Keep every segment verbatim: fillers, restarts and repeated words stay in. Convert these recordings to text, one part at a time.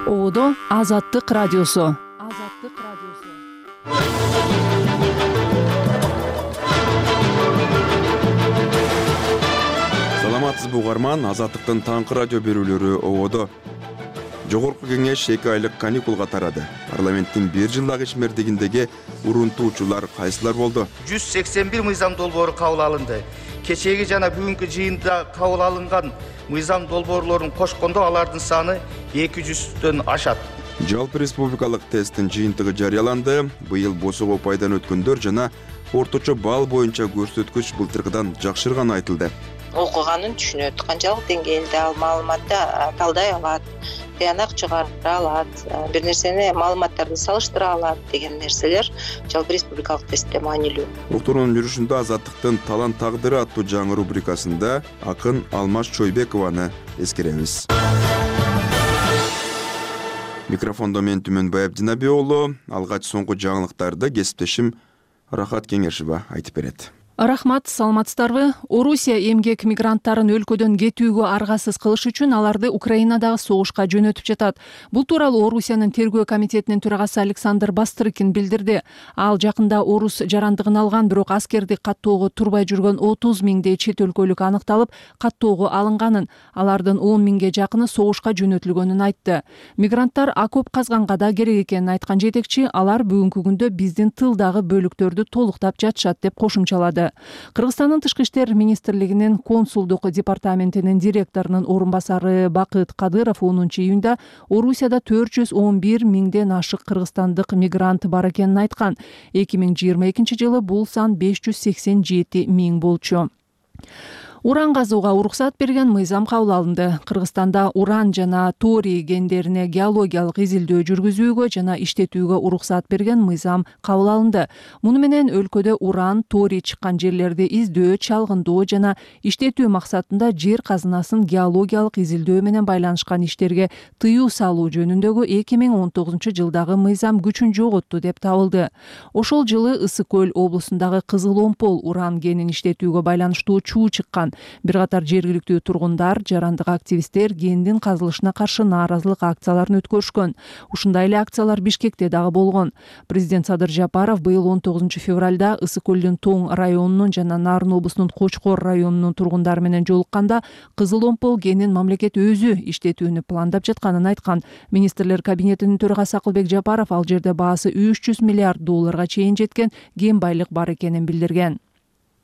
Ободо Азаттык радиосу. Азаттык радиосу. Саламатсызбы угарман, Азаттыктын таңкы радио берүүлөрү ободо. Жогорку кеңеш эки айлык каникулга тарады. Парламенттин бир жылдагы ишмердигиндеги урунтуучулар кайсылар болду? жүз сексен бир мыйзам долбоору кабыл алынды. Кечээги жана бүгүнкү жыйында кабыл алынган мыйзам долбоорлорун кошкондо алардын саны эки жүздөн ашат. Жалпы республикалык тесттин жыйынтыгы жарыяланды. Быйыл босого пайдан өткөндөр жана орточо балл боюнча көрсөткүч былтыркыдан жакшырганы айтылды. Окуганын түшүнөт, канчалык деңгээлде ал маалыматты талдай алат, тыянак чыгара алат, бир нерсени маалыматтарды салыштыра алат деген нерселер жалпы республикалык тестте маанилүү. Уктуруунун жүрүшүндө Азаттыктын талант тагдыры аттуу жаңы рубрикасында акын Алмаз Чойбекованы эскеребиз. Микрофондо мен Түмөнбай Абдинаби уулу, алгач соңку жаңылыктарды кесиптешим Рахат Кеңешова айтып берет. Рахмат, саламатсыздарбы? Орусия эмгек мигранттарын өлкөдөн кетүүгө аргасыз кылыш үчүн аларды Украинадагы согушка жөнөтүп жатат. Бул тууралуу Орусиянын тергөө комитетинин төрагасы Александр Бастрыкин билдирди. Ал жакында орус жарандыгын алган, бирок аскердик каттоого турбай жүргөн отуз миңдей чет өлкөлүк аныкталып, каттоого алынганын, алардын он миңге жакыны согушка жөнөтүлгөнүн айтты. Мигранттар окоп казганга да керек экенин айткан жетекчи, алар бүгүнкү күндө биздин тылдагы бөлүктөрдү толуктап жатышат деп кошумчалады. Кыргызстандын тышкы иштер министрлигинин консулдук департаментинин директорунун орун басары Бакыт Кадыров онунчу июнда Орусияда төрт жүз он бир миңден ашык кыргызстандык мигрант бар экенин айткан. эки миң жыйырма экинчи жылы бул сан беш жүз сексен жети миң болчу. Уран казууга уруксат берген мыйзам кабыл алынды. Кыргызстанда уран жана торий кендерине геологиялык изилдөө жүргүзүүгө жана иштетүүгө уруксат берген мыйзам кабыл алынды. Муну менен өлкөдө уран, торий чыккан жерлерди издөө, чалгындоо жана иштетүү максатында жер казынасын геологиялык изилдөө менен байланышкан иштерге тыюу салуу жөнүндөгү эки миң он тогузунчу жылдагы мыйзам күчүн жоготту деп табылды. Ошол жылы Ысык көл облусундагы Кызыл Омпол уран кенин иштетүүгө байланыштуу чуу чыккан. Бир катар жергиликтүү тургундар, жарандык активисттер кендин казылышына каршы нааразылык акцияларын өткөрүшкөн. Ушундай эле акциялар Бишкекте дагы болгон. Президент Садыр Жапаров быйыл он тогузунчу февралда Ысык көлдүн Тоң районунун жана Нарын облусунун Кочкор районунун тургундары менен жолукканда Кызыл Омпол кенин мамлекет өзү иштетүүнү пландап жатканын айткан. Министрлер кабинетинин төрагасы Акылбек Жапаров ал жерде баасы үч жүз миллиард долларга чейин жеткен кен байлык бар экенин билдирген.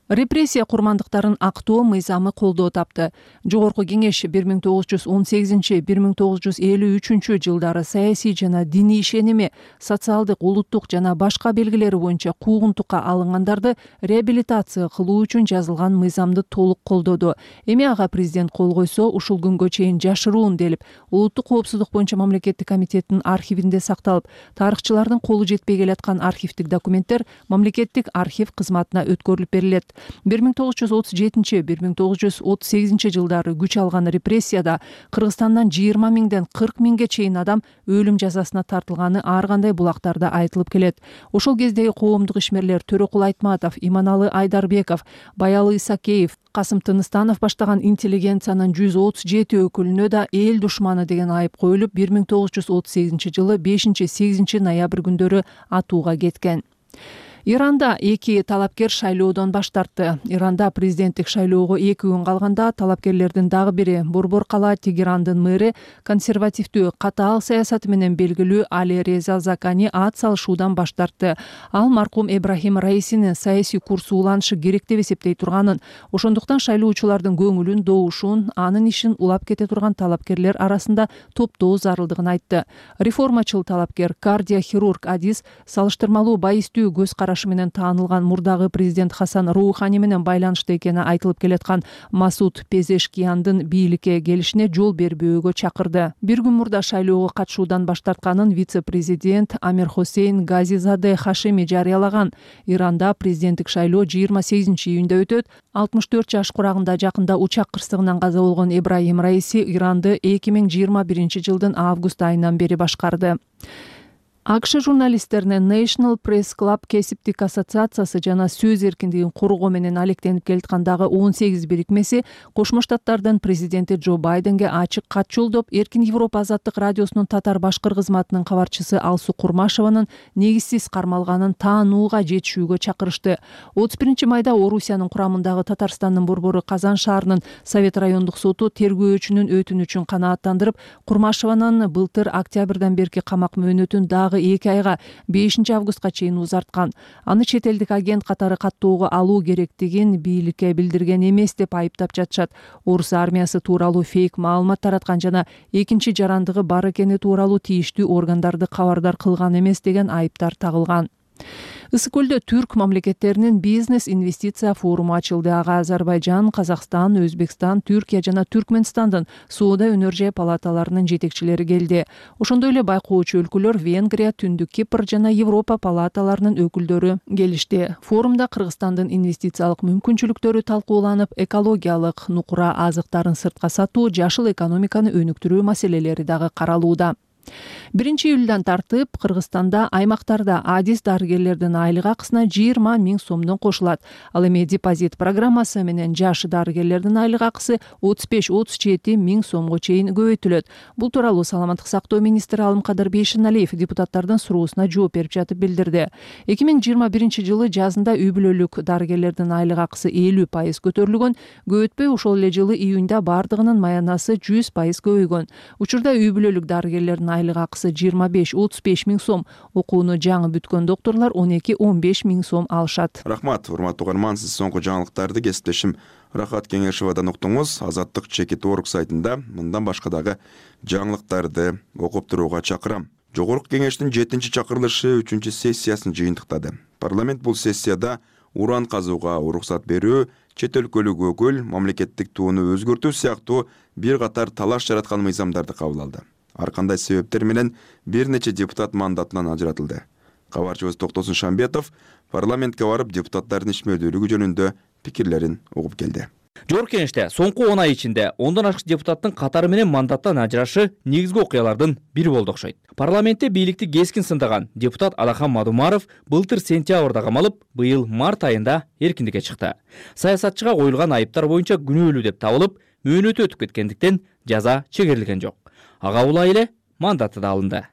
Репрессия курмандыктарын актоо мыйзамы колдоо тапты. Жогорку кеңеш бир миң тогуз жүз он сегизинчи — бир миң тогуз жүз элүү үчүнчү жылдары саясий жана диний ишеними, социалдык, улуттук жана башка белгилери боюнча куугунтукка алынгандарды реабилитация кылуу үчүн жазылган мыйзамды толук колдоду. Эми ага президент кол койсо, ушул күнгө чейин жашыруун делип, улуттук коопсуздук боюнча мамлекеттик комитеттин архивинде сакталып, тарыхчылардын колу жетпей келаткан архивдик документтер мамлекеттик архив кызматына өткөрүлүп берилет. бир миң тогуз жүз отуз жетинчи — бир миң тогуз жүз отуз сегизинчи жылдары күч алган репрессияда Кыргызстандан жыйырма миңден кырк миңге чейин адам өлүм жазасына тартылганы ар кандай булактарда айтылып келет. Ошол кездеги коомдук ишмерлер Төрөкул Айтматов, Иманалы Айдарбеков, Баялы Исакеев, Касым Тыныстанов баштаган интеллигенциянын жүз отуз жети өкүлүнө да эл душманы деген айып коюлуп, бир миң тогуз жүз отуз сегизинчи жылы бешинчи — сегизинчи ноябрь күндөрү атууга кеткен. Иранда эки талапкер шайлоодон баш тартты. Иранда президенттик шайлоого эки күн калганда талапкерлердин дагы бири Борбор кала Тегерандын мэри, консервативдүү катаал саясаты менен белгилүү Али Реза Закани ат салышуудан баш тартты. Ал маркум Эбрахим Раисинин саясий курсу уланышы керек деп эсептей турганын, ошондуктан шайлоочулардын көңүлүн, добушун, анын ишин улап кете турган талапкерлер арасында топтоо зарылдыгын айтты. Реформачыл талапкер, кардиохирург Адис салыштырмалуу байистүү көз караш менен таанылган мурдагы президент Хасан Роухани менен байланышта экени айтылып келаткан Масуд Пезешкияндын бийликке келишине жол бербөөгө чакырды. Бир күн мурда шайлоого катышуудан баш тартканын вице-президент Амир Хосейн Газизаде Хашими жарыялаган. Иранда президенттик шайлоо жыйырма сегизинчи июнда өтөт. алтымыш төрт жаш курагында жакында учак кырсыгынан каза болгон Ибрахим Раиси Иранды эки миң жыйырма биринчи жылдын август айынан бери башкарды. АКШ журналисттеринин National Press Club кесиптик ассоциациясы жана сөз эркиндигин коргоо менен алектенип келаткандагы он сегиз бирикмеси Кошмо Штаттардын президенти Джо Байденге ачык кат жолдоп, Эркин Европа азаттык радиосунун татар башкыр кызматынын кабарчысы Алсу Курмашеванын негизсиз кармалганын таанууга жетишүүгө чакырышты. отуз биринчи майда Орусиянын курамындагы Татарстандын борбору Казан шаарынын Совет райондук соту тергөөчүнүн өтүнүчүн канааттандырып, Курмашеванын былтыр октябрдан берки камак мөөнөтүн дагы эки айга бешинчи августка чейин узарткан. Аны чет элдик агент катары каттоого алуу керектигин бийликке билдирген эмес деп айыптап жатышат. Орус армиясы тууралуу фейк маалымат тараткан жана экинчи жарандыгы бар экени тууралуу тийиштүү органдарды кабардар кылган эмес деген айыптар тагылган. Ысык көлдө түрк мамлекеттеринин бизнес инвестиция форуму ачылды. Ага Азербайжан, Казакстан, Өзбекстан, Түркия жана Түркмөнстандын соода өнөр палаталарынын жетекчилери келди. Ошондой эле байкоочу өлкөлөр Венгрия, Түндүк Кипр жана Европа палаталарынын өкүлдөрү келишти. Форумда Кыргызстандын инвестициялык мүмкүнчүлүктөрү талкууланып, экологиялык нукура азыктарын сыртка сатуу, жашыл экономиканы өнүктүрүү маселелери дагы каралууда. биринчи июлдан тартып Кыргызстанда аймактарда адис дарыгерлердин айлык акысына жыйырма миң сомдон кошулат. Ал эми депозит программасы менен жаш дарыгерлердин айлык акысы отуз беш отуз жети миң сомго чейин көбөйтүлөт. Бул тууралуу Саламаттык сактоо министри Алымкадыр Бейшеналиев депутаттардын суроосуна жооп берип жатып билдирди. эки миң жыйырма биринчи жылы жазында үй бүлөлүк дарыгерлердин айлык акысы элүү пайыз көтөрүлгөн. Көбөйтпөй ошол эле жылы июнда бардыгынын маянасы жүз пайыз көбөйгөн. Учурда үй бүлөлүк дарыгерлердин айлык акысы жыйырма беш отуз беш миң сом, окууну жаңы бүткөн докторлор он эки он беш миң сом алышат. Рахмат, урматтуу угарман, сиз соңку жаңылыктарды кесиптешим Рахат Кеңешевадан уктуңуз. Азаттык чекит орг сайтында мындан башка дагы жаңылыктарды окуп турууга чакырам. Жогорку кеңештин жетинчи чакырылышы үчүнчү сессиясын жыйынтыктады. Парламент бул сессияда уран казууга уруксат берүү, чет өлкөлүк өкүл, мамлекеттик тууну өзгөртүү сыяктуу бир катар талаш жараткан мыйзамдарды кабыл алды. Ар кандай себептер менен бир нече депутат мандатынан ажыратылды. Кабарчыбыз Токтосун Шамбетов парламентке барып депутаттардын ишмердүүлүгү жөнүндө пикирлерин угуп келди. Жогорку кеңеште соңку он ай ичинде ондон ашык депутаттын катары менен мандаттан ажырашы негизги окуялардын бири болду окшойт. Парламентте бийликти кескин сындаган депутат Алахан Мадумаров былтыр сентябрда камалып, быйыл март айында эркиндикке чыкты. Саясатчыга коюлган айыптар боюнча күнөөлүү деп табылып, мөөнөтү өтүп кеткендиктен жаза чегерилген жок. Ага улай эле мандаты да алынды.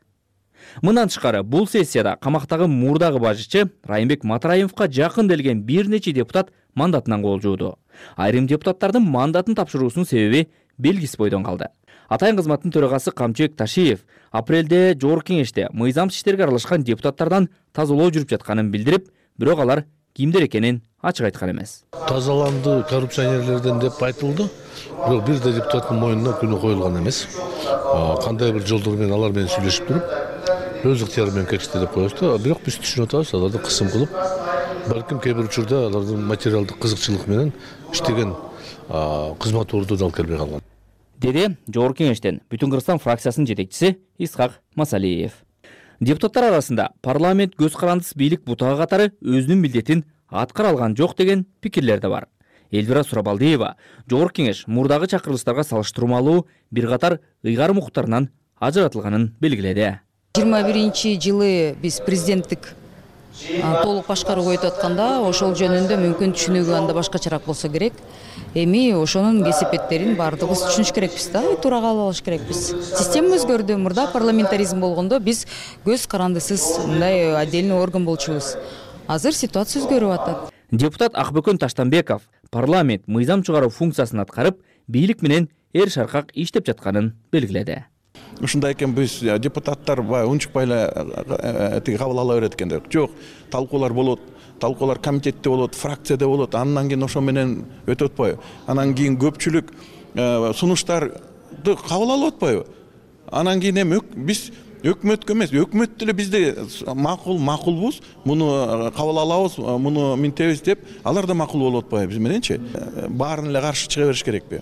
Мындан тышкары бул сессияда камактагы мурдагы башчы Райымбек Матраимовго жакын делген бир нече депутат мандатынан кол жууду. Айрым депутаттардын мандатын тапшыруусунун себеби белгисиз бойдон калды. Атайын кызматтын төрагасы Камчыбек Ташиев апрелде жогорку кеңеште мыйзамсыз иштерге аралашкан депутаттардан тазалоо жүрүп жатканын билдирип, бирок алар кимдер экенин ачык айткан эмес. Тазаланды коррупционерлерден деп айтылды, бирок бир да депутаттын мойнуна күнөө коюлган эмес. Кандай бир жолдор менен алар менен сүйлөшүп туруп, өз ыктыяры менен кетишти деп коебуз. Бирок биз түшүнүп атабыз, аларды кысым кылып, балким кээ бир учурда алардын материалдык кызыкчылык менен иштеген кызмат ордуна алып келбей калган. Деди жогорку кеңештен Бүтүн Кыргызстан фракциясынын жетекчиси Исхак Масалиев. Депутаттар арасында парламент көз карандысыз бийлик бутага катары өзүнүн милдетин аткара алган жок деген пикирлер да бар. Элвира Сурабалдиева жогорку кеңеш мурдагы чакырылыштарга салыштырмалуу бир катар ыйгарым укуктарынан ажыратылганын белгиледи. жыйырма биринчи жылы биз президенттик толук башкарууга өтүп атканда ошол жөнүндө мүмкүн түшүнүгү анда башкачараак болсо керек. Эми ошонун кесепеттерин баардыгыбыз түшүнүш керекпиз да, туура кабыл алыш керекпиз. Система өзгөрдү. Мурда парламентаризм болгондо биз көз карандысыз мындай отдельный орган болчубуз. Азыр ситуация өзгөрүп атат. Депутат Акбөкөн Таштанбеков парламент мыйзам чыгаруу функциясын аткарып, бийлик менен эр шаркак иштеп жатканын белгиледи. Ушундай экен, биз депутаттар баягы унчукпай эле тиги кабыл ала берет экен деп. Жок, талкуулар болот. Талкуулар комитетте болот, фракцияда болот. Андан кийин ошо менен өтүп атпайбы? Анан кийин көпчүлүк сунуштарды кабыл алып атпайбы? Анан кийин эми биз өкмөткө эмес, өкмөт деле бизде макул, макулбуз, муну кабыл алабыз, муну минтебиз деп, алар да макул болуп атпайбы биз мененчи? Баарын эле каршы чыга бериш керекпи?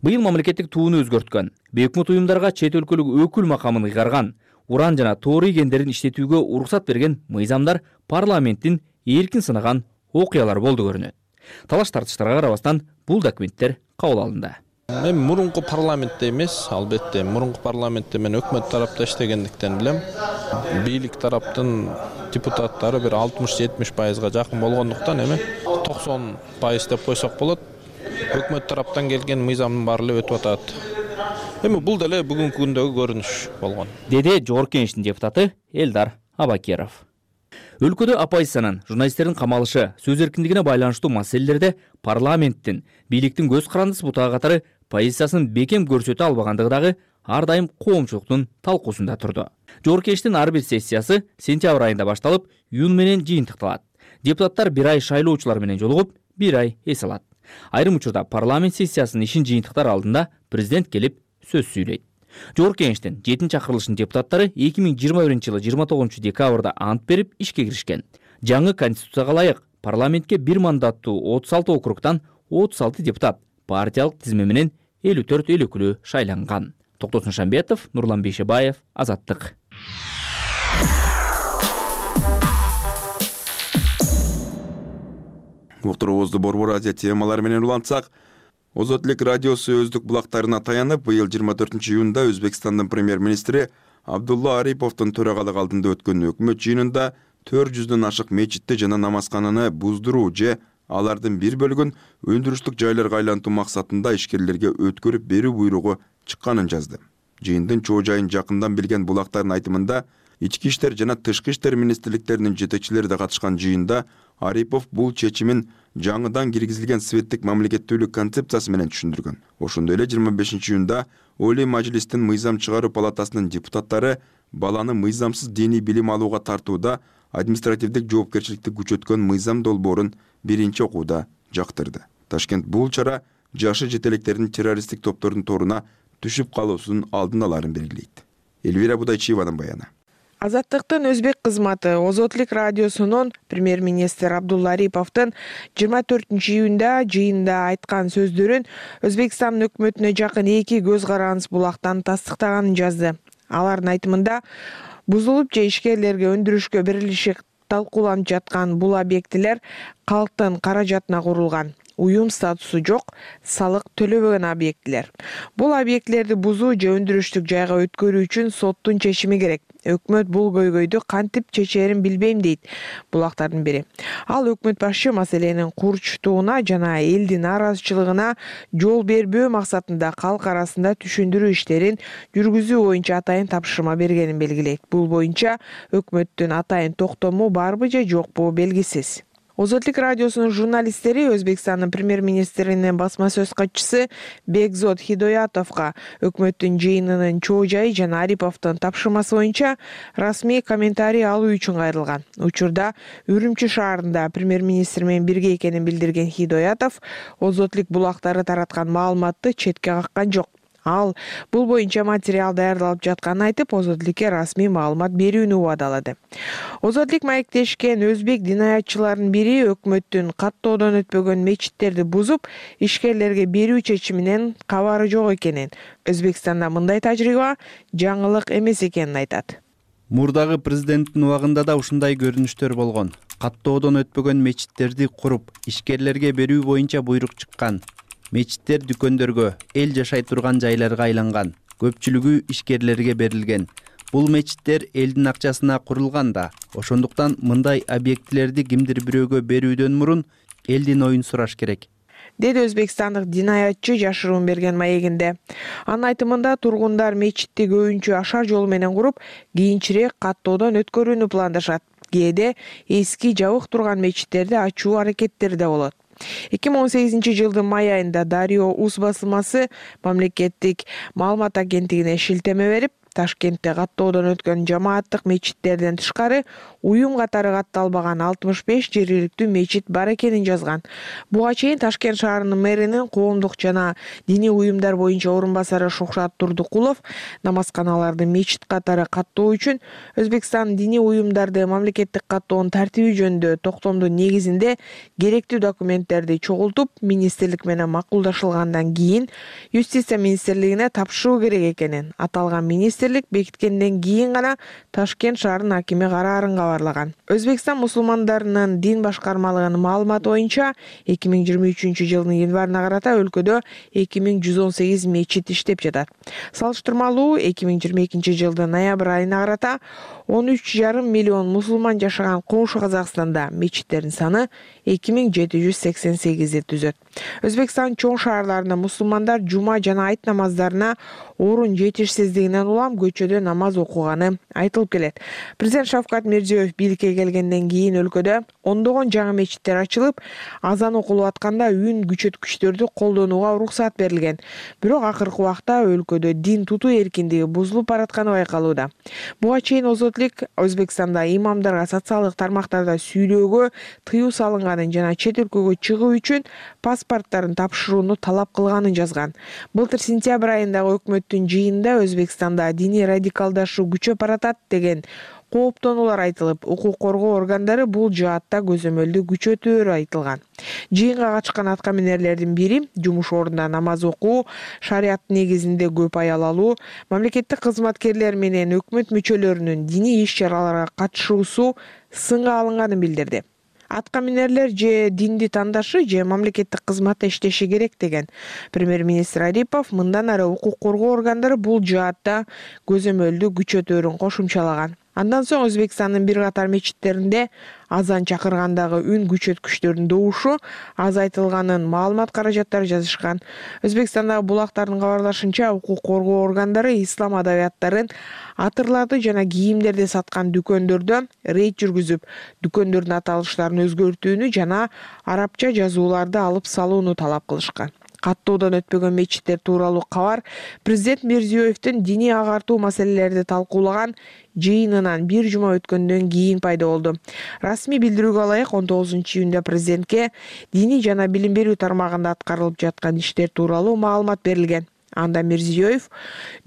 Быйыл мамлекеттик тууну өзгөрткөн, бейөкмөт уюмдарга чет өлкөлүк өкүл макамын ыйгарган, уран жана тоорий кендерин иштетүүгө уруксат берген мыйзамдар парламенттин эркин сынаган окуялар болду көрүнөт. Талаш тартыштарга карабастан бул документтер кабыл алынды. Мен мурунку парламентте эмес, албетте мурунку парламентте мен өкмөт тарапта иштегендиктен билем. Бийлик тараптын депутаттары бир алтымыш жетимиш пайызга жакын болгондуктан эми токсон пайыз деп койсок болот. Өкмөт тараптан келген мыйзамдын баары эле өтүп атат. Эми бул деле бүгүнкү күндөгү көрүнүш болгон. Деди Жогорку Кеңештин депутаты Элдар Абакеров. Өлкөдө оппозициянын журналисттердин камалышы, сөз эркиндигине байланыштуу маселелерде парламенттин, бийликтин көз карандысы бутага катары позициясын бекем көрсөтө албагандыгы дагы ар дайым коомчулуктун талкуусунда турду. Жогорку Кеңештин ар бир сессиясы сентябрь айында башталып, июнь менен жыйынтыкталат. Депутаттар бир ай шайлоочулар менен жолугуп, бир ай эс алат. Айрым учурда парламент сессиясынын ишин жыйынтыктар алдында президент келип сөз сүйлөйт. Жогорку Кеңештин жетинчи чакырылышынын депутаттары эки миң жыйырма биринчи жылы жыйырма тогузунчу декабрда ант берип ишке киришкен. Жаңы конституцияга ылайык парламентке бир мандаттуу отуз алты округтан отуз алты депутат партиялык тизме менен элүү төрт эл өкүлү шайланган. Токтосун Шамбетов, Нурлан Бейшебаев, Азаттык. Уктуруубузду Борбор Азия темалары менен улантсак, Озот элек радиосу өздүк булактарына таянып, быйыл жыйырма төртүнчү июнда Өзбекстандын премьер-министри Абдулла Ариповдун төрагалык алдында өткөн өкмөт жыйынында төрт жүздөн ашык мечитти жана намазкананы буздуруу же алардын бир бөлүгүн өндүрүштүк жайларга айлантуу максатында ишкерлерге өткөрүп берүү буйругу чыкканын жазды. Жыйындын чоо жайын жакындан билген булактардын айтымында, ички иштер жана тышкы иштер министрликтеринин жетекчилери да катышкан жыйында Арипов бул чечимин жаңыдан киргизилген светтик мамлекеттүүлүк концепциясы менен түшүндүргөн. Ошондой эле жыйырма бешинчи июнда Олий Мажлистин мыйзам чыгаруу палатасынын депутаттары баланы мыйзамсыз диний билим алууга тартууда административдик жоопкерчиликти күчөткөн мыйзам долбоорун биринчи окууда жактырды. Ташкент бул чара жашы жетелектердин террористтик топтордун торуна түшүп калуусунун алдын аларын белгилейт. Элвира Будайчиеванын баяны. Азаттыктын өзбек кызматы Озот элек радиосунун премьер-министр Абдулла Ариповдун жыйырма төртүнчү июнда жыйында айткан сөздөрүн Өзбекстандын өкмөтүнө жакын эки көз карандыс булактан тастыктаганын жазды. Алардын айтымында бузулуп же ишкерлерге өндүрүшкө берилиши талкууланып жаткан бул объектилер калктын каражатына курулган. Уюм статусу жок, салык төлөбөгөн объектилер. Бул объектилерди бузуу же өндүрүштүк жайга өткөрүү үчүн соттун чечими керек. Өкмөт бул көйгөйдү кантип чечерин билбейм дейт булактардын бири. Ал өкмөт башчы маселенин курчтууна жана элдин нараазычылыгына жол бербөө максатында калк арасында түшүндүрүү иштерин жүргүзүү боюнча атайын тапшырма бергенин белгилейт. Бул боюнча өкмөттүн атайын токтому барбы же жокпу белгисиз. Озот элек радиосунун журналисттери Өзбекстандын премьер-министринин басма сөз катчысы Бекзод Хидоятовго өкмөттүн жыйынынын чоо жайы жана Ариповдун тапшырмасы боюнча расмий комментарий алуу үчүн кайрылган. Учурда Үрүмчү шаарында премьер-министр менен бирге экенин билдирген Хидоятов Озот элек булактары тараткан маалыматты четке каккан жок. Ал бул боюнча материал даярдалып жатканын айтып, Озот элекке расмий маалымат берүүнү убадалады. Озот элек маектешкен өзбек динаятчыларынын бири өкмөттүн каттоодон өтпөгөн мечиттерди бузуп, ишкерлерге берүү чечиминен кабары жок экенин, Өзбекстанда мындай тажрыйба жаңылык эмес экенин айтат. Мурдагы президенттин убагында да ушундай көрүнүштөр болгон. Каттоодон өтпөгөн мечиттерди куруп, ишкерлерге берүү боюнча буйрук чыккан. Мечиттер дүкөндөргө, эл жашай турган жайларга айланган. Көпчүлүгү ишкерлерге берилген. Бул мечиттер элдин акчасына курулган да. Ошондуктан мындай объектилерди кимдир бирөөгө берүүдөн мурун элдин оюн сураш керек. Деди өзбекстандык динаятчы жашыруун берген маегинде. Анын айтымында тургундар мечитти көбүнчө ашар жол менен куруп, кийинчерээк каттоодон өткөрүүнү пландашат. Кээде эски жабык турган мечиттерди ачуу аракеттери да болот. эки миң он сегизинчи жылдын май айында Дарио Уз басылмасы мамлекеттик маалымат агенттигине шилтеме берип, Ташкентте каттоодон өткөн жамааттык мечиттерден тышкары уюм катары катталбаган алтымыш беш жергиликтүү мечит бар экенин жазган. Буга чейин Ташкент шаарынын мэринин коомдук жана диний уюмдар боюнча орун басары Шухрат Турдукулов намазканаларды мечит катары каттоо үчүн Өзбекстан диний уюмдарды мамлекеттик каттоонун тартиби жөнүндө токтомдун негизинде керектүү документтерди чогултуп, министрлик менен макулдашылгандан кийин Юстиция министрлигине тапшыруу керек экенин, аталган министр министрлик бекиткенден кийин гана Ташкент шаарынын акими караарын кабарлаган. Өзбекстан мусулмандарынын дин башкармалыгынын маалыматы боюнча эки миң жыйырма үчүнчү жылдын январына карата өлкөдө эки миң жүз он сегиз мечит иштеп жатат. Салыштырмалуу эки миң жыйырма экинчи жылдын ноябрь айына карата он үч жарым миллион мусулман жашаган коңшу Казакстанда мечиттердин саны эки миң жети жүз сексен сегизди түзөт. Өзбекстан чоң шаарларында мусулмандар жума жана айт намаздарына орун жетишсиздигинен улам көчөдө намаз окуганы айтылып келет. Президент Шавкат Мирзиёев бийликке келгенден кийин өлкөдө ондогон жаңы мечиттер ачылып, азан окулуп атканда үн күчөткүчтөрдү колдонууга уруксат берилген. Бирок акыркы убакта өлкөдө дин тутуу эркиндиги бузулуп баратканы байкалууда. Буга чейин Озотлик Өзбекстанда имамдарга социалдык тармактарда сүйлөөгө тыюу салынганын жана чет өлкөгө чыгуу үчүн паспорттарын тапшырууну талап кылганын жазган. Былтыр сентябрь айындагы өкмөттүн жыйынында Өзбекстанда диний радикалдашуу күчөп баратат деген кооптонуулар айтылып, укук коргоо органдары бул жаатта көзөмөлдү күчөтөөрү айтылган. Жыйынга катышкан аткаминерлердин бири жумуш ордунда намаз окуу, шарият негизинде көп аял алуу, мамлекеттик кызматкерлер менен өкмөт мүчөлөрүнүн диний иш-чараларга катышуусу сынга алынганын билдирди. Аткаминерлер же динди тандашы же мамлекеттик кызматта иштеши керек деген премьер-министр Арипов мындан ары укук коргоо органдары бул жаатта көзөмөлдү күчөтөөрүн кошумчалаган. Андан соң Өзбекстандын бир катар мечиттеринде азан чакыргандагы үн күчөткүчтөрдүн добушу азайтылганын маалымат каражаттары жазышкан. Өзбекстандагы булактардын кабарлашынча, укук коргоо органдары ислам адабияттарын, атырларды жана кийимдерди саткан дүкөндөрдө рейд жүргүзүп, дүкөндөрдүн аталыштарын өзгөртүүнү жана арабча жазууларды алып салууну талап кылышкан. Каттоодон өтпөгөн мечиттер тууралуу кабар президент Мирзиёевдин диний агартуу маселелерди талкуулаган жыйынынан бир жума өткөндөн кийин пайда болду. Расмий билдирүүгө ылайык он тогузунчу июнда президентке диний жана билим берүү тармагында аткарылып жаткан иштер тууралуу маалымат берилген. Анда Мирзиёев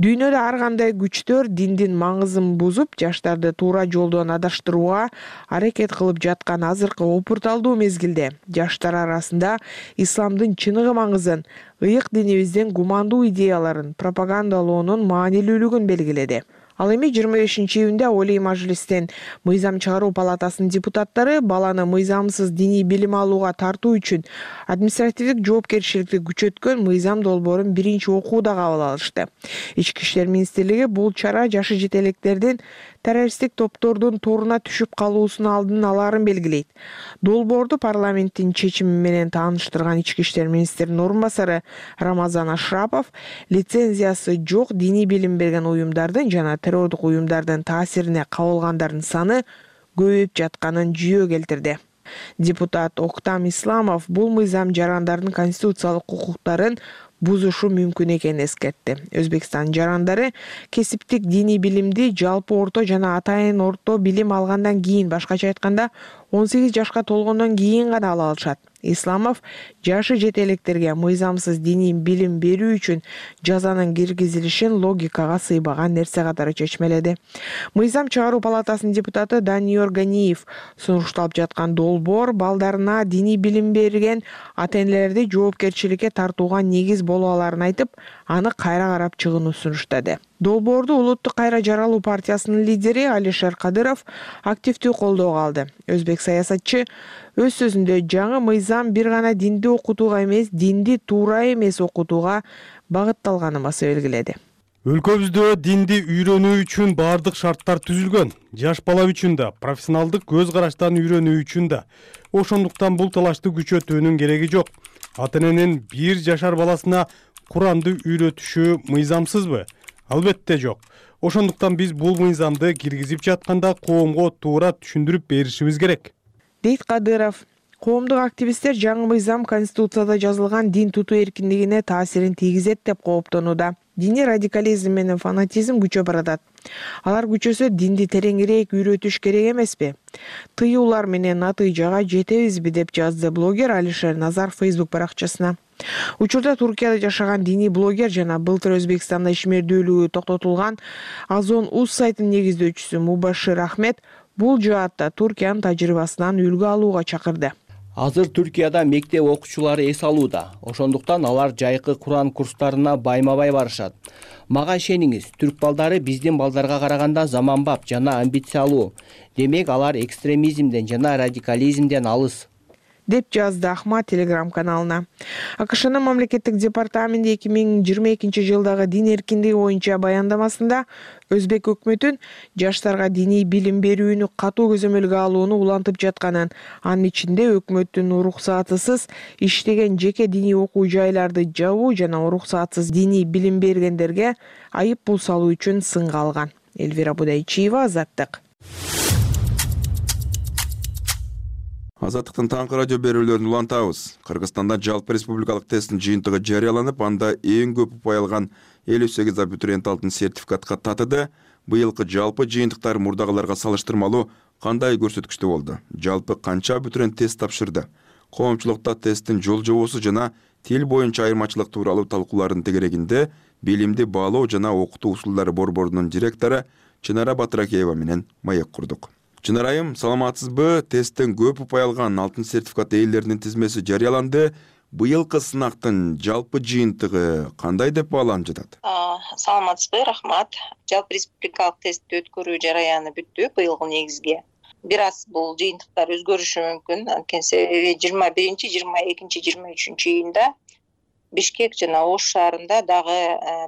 дүйнөдө ар кандай күчтөр диндин маңызын бузуп, жаштарды туура жолдон адаштырууга аракет кылып жаткан азыркы опурталдуу мезгилде жаштар арасында исламдын чыныгы маңызын, ыйык динибиздин гумандуу идеяларын пропагандалоонун маанилүүлүгүн белгиледи. Ал эми жыйырма бешинчи июнда Олий Мажлистен мыйзам чыгаруу палатасынын депутаттары баланы мыйзамсыз диний билим алууга тартуу үчүн административдик жоопкерчиликти күчөткөн мыйзам долбоорун биринчи окууда кабыл алышты. Ички иштер министрлиги бул чара жашы жете электердин террористтик топтордун торуна түшүп калуусунун алдын алаарын белгилейт. Долбоорду парламенттин чечими менен тааныштырган ички иштер министринин орун басары Рамазан Ашрапов лицензиясы жок диний билим берген уюмдардын жана террордук уюмдардын таасирине кабылгандардын саны көбөйүп жатканын жүйө келтирди. Депутат Октам Исламов бул мыйзам жарандардын конституциялык укуктарын бузушу мүмкүн экенин эскертти. Өзбекстан жарандары кесиптик диний билимди жалпы орто жана атайын орто билим алгандан кийин, башкача айтканда он сегиз жашка толгондон кийин гана ала алышат. Исламов жашы жете электерге мыйзамсыз диний билим берүү үчүн жазанын киргизилишин логикага сыйбаган нерсе катары чечмеледи. Мыйзам чыгаруу палатасынын депутаты Даниор Ганиев сунушталып жаткан долбоор балдарына диний билим берген ата-энелерди жоопкерчиликке тартууга негиз боло аларын айтып, аны кайра карап чыгууну сунуштады. Долбоорду Улуттук кайра жаралуу партиясынын лидери Алишер Кадыров активдүү колдоого алды. Өзбек саясатчы өз сөзүндө жаңы мыйзам бир гана динди окутууга эмес, динди туура эмес окутууга багытталганын баса белгиледи. Өлкөбүздө динди үйрөнүү үчүн баардык шарттар түзүлгөн. Жаш бала үчүн да, профессионалдык көз караштан үйрөнүү үчүн да. Ошондуктан бул талашты күчөтүүнүн кереги жок. Ата-эненин бир жашар баласына Куранды үйрөтүшү мыйзамсызбы? Албетте жок. Ошондуктан биз бул мыйзамды киргизип жатканда коомго туура түшүндүрүп беришибиз керек, дейт Кадыров. Коомдук активисттер жаңы мыйзам Конституцияда жазылган дин тутуу эркиндигине таасирин тийгизет деп кооптонууда. Диний радикализм менен фанатизм күчөп баратат. Алар күчөсө динди тереңирээк үйрөтүш керек эмеспи? Тыюулар менен натыйжага жетебизби деп жазды блогер Алишер Назар Facebook баракчасына. Учурда Туркияда жашаган диний блогер жана былтыр Өзбекстанда ишмердүүлүгү токтотулган Азон Уз сайтынын негиздөөчүсү Мубашир Ахмед бул жаатта Туркиянын тажрыйбасынан үлгү алууга чакырды. Азыр Түркияда мектеп окуучулары эс алууда. Ошондуктан алар жайкы Куран курстарына байма-бай барышат. Мага ишениңиз, түрк балдары биздин балдарга караганда заманбап жана амбициялуу. Демек алар экстремизмден жана радикализмден алыс, деп жазды Ахмат Телеграм каналына. АКШнын мамлекеттик департаменти эки миң жыйырма экинчи жылдагы дин эркиндиги боюнча баяндамасында Өзбек өкмөтүн жаштарга диний билим берүүнү катуу көзөмөлгө алууну улантып жатканын, анын ичинде өкмөттүн уруксатысыз иштеген жеке диний окуу жайларды жабуу жана уруксатсыз диний билим бергендерге айып пул салуу үчүн сынга алган. Элвира Будайчиева, Азаттык. Азаттыктын таңкы радио берүүлөрүн улантабыз. Кыргызстанда жалпы республикалык тесттин жыйынтыгы жарыяланып, анда эң көп упай алган элүү сегиз абитуриент алтын сертификатка татыды. Быйылкы жалпы жыйынтыктар мурдагыларга салыштырмалуу кандай көрсөткүчтө болду? Жалпы канча абитуриент тест тапшырды? Коомчулукта тесттин жол жобосу жана тил боюнча айырмачылык тууралуу талкуулардын тегерегинде билимди баалоо жана окутуу усулдары борборунун директору Чынара Батыракеева менен маек курдук. Чынарайым, саламатсызбы? Тесттен көп упай алган алтын сертификат ээлеринин тизмеси жарыяланды. Быйылкы сынактын жалпы жыйынтыгы кандай деп бааланып жатат? Саламатсызбы, рахмат. Жалпы республикалык тестти өткөрүү жараяны бүттү быйылкы негизге. Бир аз бул жыйынтыктар өзгөрүшү мүмкүн. Анткени себеби жыйырма биринчи, жыйырма экинчи, жыйырма үчүнчү июнда Бишкек жана Ош шаарында дагы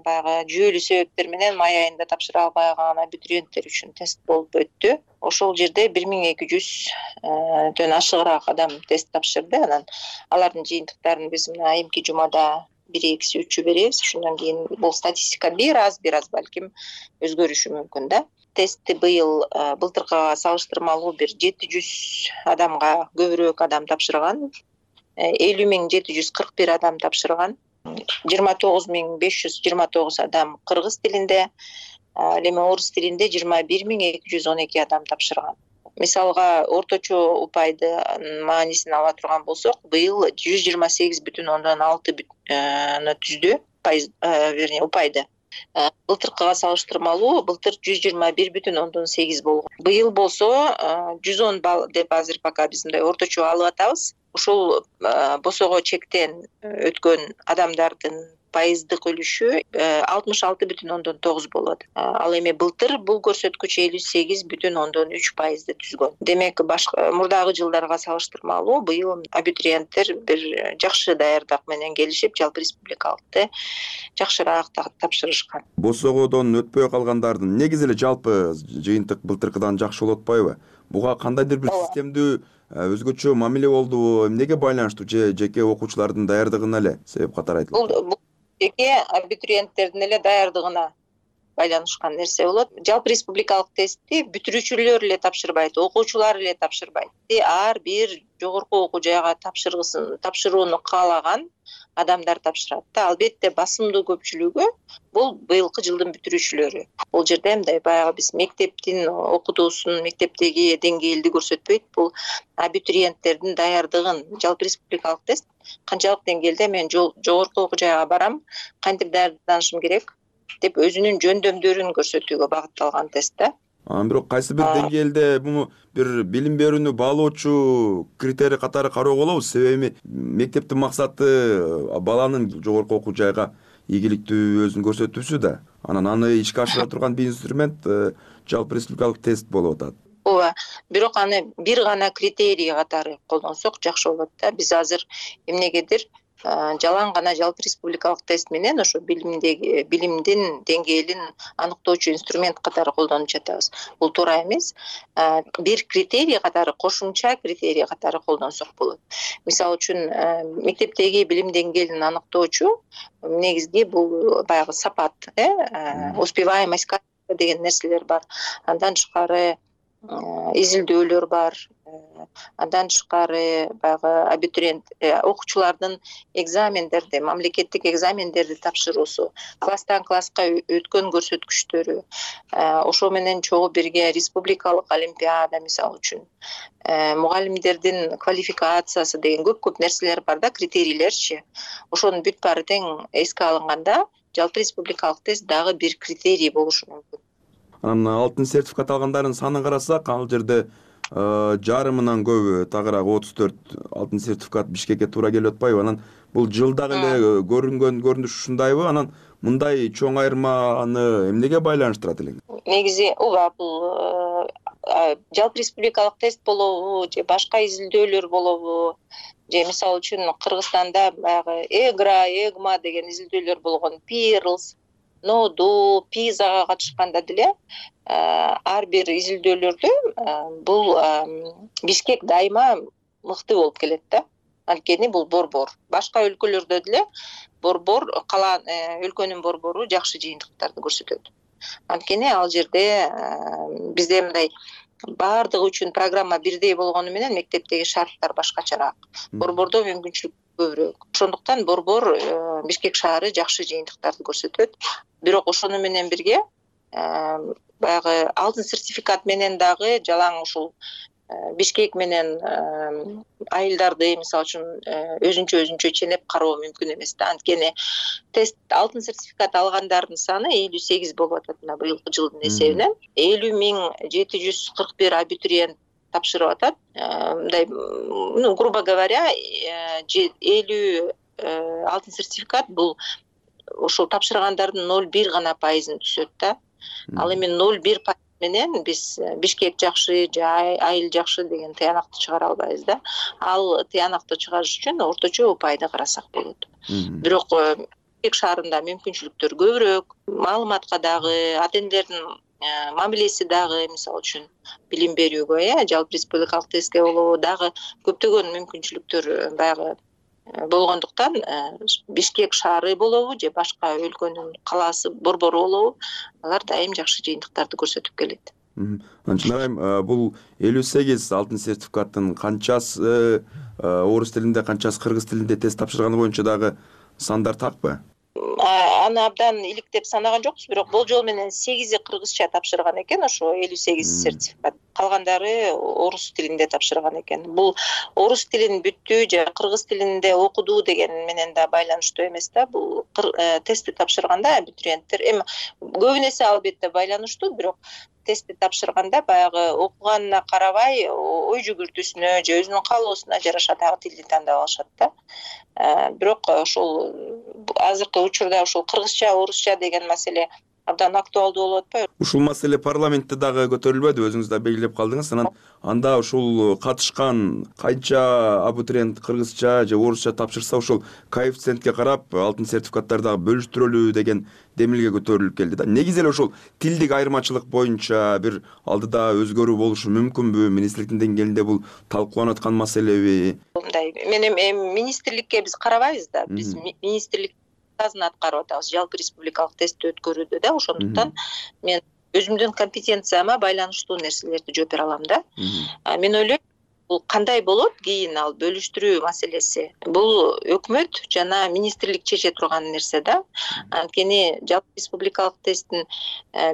баягы жүйөлүү себептер менен май айында тапшыра албай калган абитуриенттер үчүн тест болуп өттү. Ошол жерде бир миң эки жүздөн ашыгыраак адам тест тапшырды. Анан алардын жыйынтыктарын биз мына айымки жумада бир экиси үчү беребиз. Ошондон кийин бул статистика бир аз бир аз балким өзгөрүшү мүмкүн да. Тестти быйыл былтыркыга салыштырмалуу бир жети жүз адамга көбүрөөк адам тапшырган. элүү миң жети жүз кырк бир адам тапшырган. жыйырма тогуз миң беш жүз жыйырма тогуз адам кыргыз тилинде, ал эми орус тилинде жыйырма бир миң эки жүз он эки адам тапшырган. Мисалга орточо упайды маанисин ала турган болсок, быйыл жүз жыйырма сегиз бүтүн ондон алты түздү пайыз, вернее, упайды. Былтыркыга салыштырмалуу былтыр жүз жыйырма бир бүтүн ондон сегиз болгон. Быйыл болсо жүз он балл деп азыр пока биз мындай орточо алып атабыз. Ушул босого чектен өткөн адамдардын пайыздык үлүшү алтымыш алты бүтүн ондон тогуз болот. Ал эми былтыр бул көрсөткүч элүү сегиз бүтүн ондон үч пайызды түзгөн. Демек, башка мурдагы жылдарга салыштырмалуу быйыл абитуриенттер бир жакшы даярдык менен келишип, жалпы республикалыкты жакшыраак тапшырышкан. Босогодон өтпөй калгандардын негизи эле жалпы жыйынтык былтыркыдан жакшы болуп атпайбы? Буга кандайдыр бир системдүү өзгөчө мамиле болдубу? Эмнеге байланыштуу? Же жеке окуучулардын даярдыгына эле себеп катары айтылат? Бул жеке абитуриенттердин эле даярдыгына байланышкан нерсе болот. Жалпы республикалык тестти бүтүрүүчүлөр эле тапшырбайт, окуучулар эле тапшырбайт. Ар бир жогорку окуу жайга тапшыргысын, тапшырууну каалаган адамдар тапшырат да. Албетте басымдуу көпчүлүгү бул быйылкы жылдын бүтүрүүчүлөрү. Бул жерде мындай баягы биз мектептин окутуусун, мектептеги деңгээлди көрсөтпөйт. Бул абитуриенттердин даярдыгын, жалпы республикалык тест канчалык деңгээлде мен жогорку окуу жайга барам, кантип даярданышым керек деп өзүнүн жөндөмдөрүн көрсөтүүгө багытталган тест да. Анан бирок кайсы бир деңгээлде муну бир билим берүүнү баалоочу критерий катары кароого болобу? Себеби мектептин максаты баланын жогорку окуу жайга ийгиликтүү өзүн көрсөтүүсү да. Анан аны ишке ашыра турган бир инструмент жалпы республикалык тест болуп атат. Ооба, бирок аны бир гана критерий катары колдонсок жакшы болот да. Биз азыр эмнегедир жалаң гана жалпы республикалык тест менен ошо билимдеги билимдин деңгээлин аныктоочу инструмент катары колдонуп жатабыз. Бул туура эмес. Бир критерий катары, кошумча критерий катары колдонсок болот. Мисалы үчүн мектептеги билим деңгээлин аныктоочу негизги бул баягы сапат, э, успеваемость деген нерселер бар. Андан тышкары изилдөөлөр бар. Андан тышкары баягы абитуриент окуучулардын экзамендерди, мамлекеттик экзамендерди тапшыруусу, класстан класска өткөн көрсөткүчтөрү, ошо менен чогуу бирге республикалык олимпиада мисалы үчүн, мугалимдердин квалификациясы деген көп-көп нерселер бар да, критерийлерчи. Ошонун бүт баары тең эске алынганда жалпы республикалык тест дагы бир критерий болушу мүмкүн. Анан алтын сертификат алгандардын санын карасак, ал жерде жарымынан көбү тагыраак отуз төрт алтын сертификат Бишкекке туура келип атпайбы? Анан бул жылдагы эле көрүнгөн көрүнүш ушундайбы? Анан мындай чоң айырманы эмнеге байланыштырат элең? Негизи ооба, бул жалпы республикалык тест болобу же башка изилдөөлөр болобу же мисалы үчүн Кыргызстанда баягы эгра, эгма деген изилдөөлөр болгон, пирлс, ноду, пизага катышканда деле ар бир изилдөөлөрдө бул Бишкек дайыма мыкты болуп келет да. Анткени бул борбор. Башка өлкөлөрдө деле борбор кала өлкөнүн борбору жакшы жыйынтыктарды көрсөтөт. Анткени ал жерде бизде мындай баардыгы үчүн программа бирдей болгону менен мектептеги шарттар башкачараак. Борбордо мүмкүнчүлүк көбүрөөк. Ошондуктан борбор Бишкек шаары жакшы жыйынтыктарды көрсөтөт. Бирок ошону менен бирге баягы алтын сертификат менен дагы жалаң ушул Бишкек менен айылдарды мисалы үчүн өзүнчө өзүнчө ченеп кароо мүмкүн эмес да. Анткени тест алтын сертификат алгандардын саны элүү сегиз болуп атат мына быйылкы жылдын эсебинен. элүү миң жети жүз кырк бир абитуриент тапшырып атат. Мындай, ну, грубо говоря, элүү алтын сертификат бул ошол тапшыргандардын ноль бир гана пайызын түзөт да. Ал эми ноль бир пайыз менен биз Бишкек жакшы же айыл жакшы деген тыянакты чыгара албайбыз да. Ал тыянакты чыгарыш үчүн орточо упайды карасак болот. Бирок Бишкек шаарында мүмкүнчүлүктөр көбүрөөк, маалыматка дагы, ата энелердин мамилеси дагы мисалы үчүн билим берүүгө, э, жалпы республикалык тестке болобу дагы көптөгөн мүмкүнчүлүктөр баягы болгондуктан Бишкек шаары болобу же башка өлкөнүн калаасы борбору болобу алар дайым жакшы жыйынтыктарды көрсөтүп келет. Анчын айым, бул элүү сегиз алтын сертификаттын канчасы орус тилинде, канчасы кыргыз тилинде тест тапшырганы боюнча дагы сандар такпы? Аны абдан иликтеп санаган жокпуз, бирок болжол менен сегизи кыргызча тапшырган экен ошо элүү сегиз сертификат. Калгандары орус тилинде тапшырган экен. Бул орус тилин бүттү же кыргыз тилинде окуду деген менен да байланыштуу эмес да. Бул тестти тапшырганда абитуриенттер эми көбүнесе албетте байланыштуу, бирок тестти тапшырганда баягы окуганына карабай ой жүгүртүүсүнө же өзүнүн каалоосуна жараша дагы тилди тандап алышат да. Бирок ошол азыркы учурда ошол кыргызча, орусча деген маселе абдан актуалдуу болуп атпайбы? Ушул маселе парламентте дагы көтөрүлбөдү, өзүңүз да белгилеп калдыңыз. Анан анда ушул катышкан канча абитуриент кыргызча же орусча тапшырса, ушул коэффициентке карап алтын сертификаттарды дагы бөлүштүрөлүү деген демилге көтөрүлүп келди да. Негизи эле ушул тилдик айырмачылык боюнча бир алдыда өзгөрүү болушу мүмкүнбү? Министрликтин деңгээлинде бул талкууланып аткан маселеби? Мындай, мен эми министрликке биз карабайбыз да. Биз министрлик аткарып атабыз жалпы республикалык тестти өткөрүүдө да. Ошондуктан мен өзүмдүн компетенцияма байланыштуу нерселерди жооп бере алам да. Мен ойлойм, бул кандай болот кийин ал бөлүштүрүү маселеси? Бул өкмөт жана министрлик чече турган нерсе да. Анткени жалпы республикалык тесттин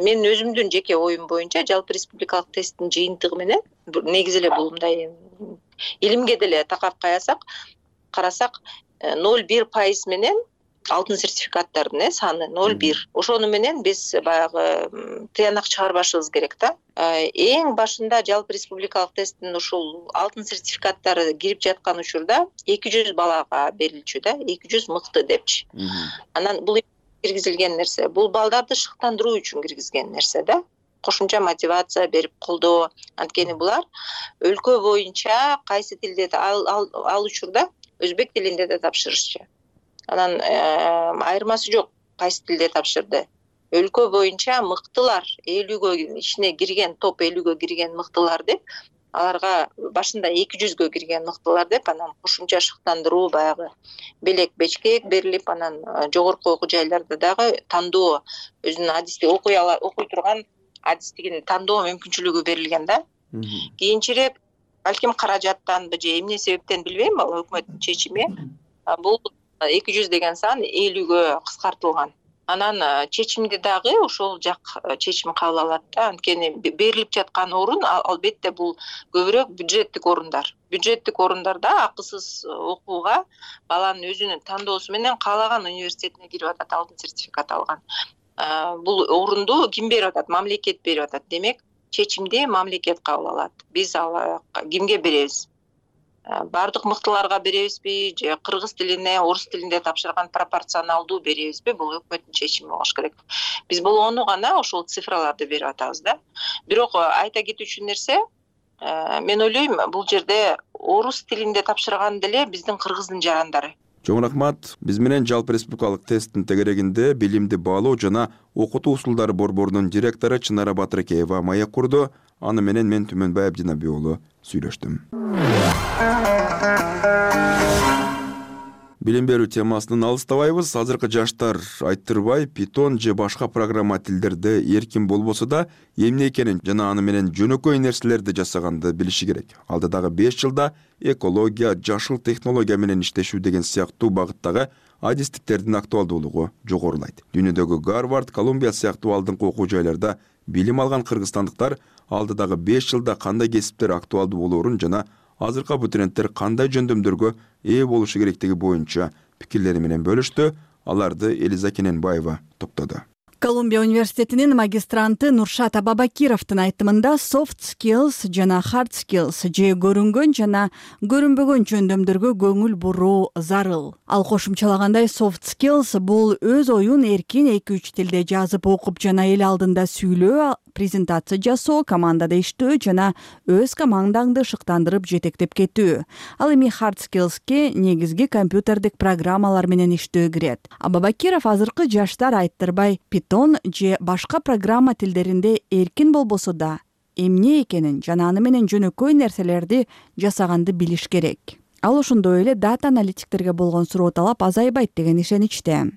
мен өзүмдүн жеке оюм боюнча жалпы республикалык тесттин жыйынтыгы менен негизи эле бул мындай илимге деле такап каясак, карасак ноль бир пайыз менен алтын сертификаттардын э саны ноль бир. Ошону менен биз баягы тыянак чыгарбашыбыз керек да. Эң башында жалпы республикалык тесттин ушул алтын сертификаттары кирип жаткан учурда эки жүз балага берилчү да, эки жүз мыкты депчи. Анан бул киргизилген нерсе, бул балдарды шыктандыруу үчүн киргизген нерсе да. Кошумча мотивация берип колдоо. Анткени булар өлкө боюнча кайсы тилде ал ал учурда өзбек тилинде да тапшырышчу. Анан айырмасы жок кайсы тилде тапшырды. Өлкө боюнча мыктылар элүүгө ичине кирген, топ элүүгө кирген мыктылар деп, аларга башында эки жүзгө кирген мыктылар деп, анан кошумча шыктандыруу баягы белек бечкек берилип, анан жогорку окуу жайларда дагы тандоо өзүнүн адисти окуй ала окуй турган адистигин тандоо мүмкүнчүлүгү берилген да. Кийинчерээк балким каражаттанбы же эмне себептен билбейм, ал өкмөттүн чечими. Бул эки жүз деген сан элүүгө кыскартылган. Анан чечимди дагы ошол жак чечим кабыл алат да. Анткени берилип жаткан орун албетте бул көбүрөөк бюджеттик орундар. Бюджеттик орундарда акысыз окууга баланын өзүнүн тандоосу менен каалаган университетине кирип атат, алтын сертификат алган. Бул орунду ким берип атат? Мамлекет берип атат. Демек, чечимди мамлекет кабыл алат. Биз ал кимге беребиз? Бардык мыктыларга беребизби же кыргыз тилине, орус тилинде тапшырган пропорционалдуу беребизби? Бул өкмөттүн чечими болуш керек. Биз болгону гана ошол цифраларды берип атабыз да. Бирок айта кетүүчү нерсе, мен ойлойм, бул жерде орус тилинде тапшырган деле биздин кыргыздын жарандары. Чоң рахмат. Биз менен жалпы республикалык тесттин тегерегинде билимди баалоо жана окутуу усулдары борборунун директору Чынара Батыракеева маек курду. Аны менен мен Түмөнбай Абдинаби уулу сүйлөштүм. Билим берүү темасынан алыстабайбыз. Азыркы жаштар айттырбай, Python же башка программа тилдерде эркин болбосо да, эмне экенин жана аны менен жөнөкөй нерселерди жасаганды билиши керек. Алдыдагы беш жылда экология, жашыл технология менен иштешүү деген сыяктуу багыттагы адистиктердин актуалдуулугу жогорулайт. Дүйнөдөгү Гарвард, Колумбия сыяктуу алдыңкы окуу жайларда билим алган кыргызстандыктар алдыдагы беш жылда кандай кесиптер актуалдуу болоорун жана азыркы абитуриенттер кандай жөндөмдөргө ээ болушу керектиги боюнча пикирлери менен бөлүштү. Аларды Элиза Кененбаева топтоду. Колумбия университетинин магистранты Нуршат Абабакировдун айтымында soft skills жана hard skills же көрүнгөн жана көрүнбөгөн жөндөмдөргө көңүл буруу зарыл. Ал кошумчалагандай soft skills бул өз оюн эркин эки үч тилде жазып окуп жана эл алдында сүйлөө, презентация жасоо, командада иштөө жана өз командаңды шыктандырып жетектеп кетүү. Ал эми hard skillsке негизги компьютердик программалар менен иштөө кирет. Абабакиров азыркы жаштар айттырбай Python же башка программа тилдеринде эркин болбосо да, эмне экенин жана аны менен жөнөкөй нерселерди жасаганды билиш керек. Ал ошондой эле дата аналитиктерге болгон суроо талап азайбайт деген ишеничте.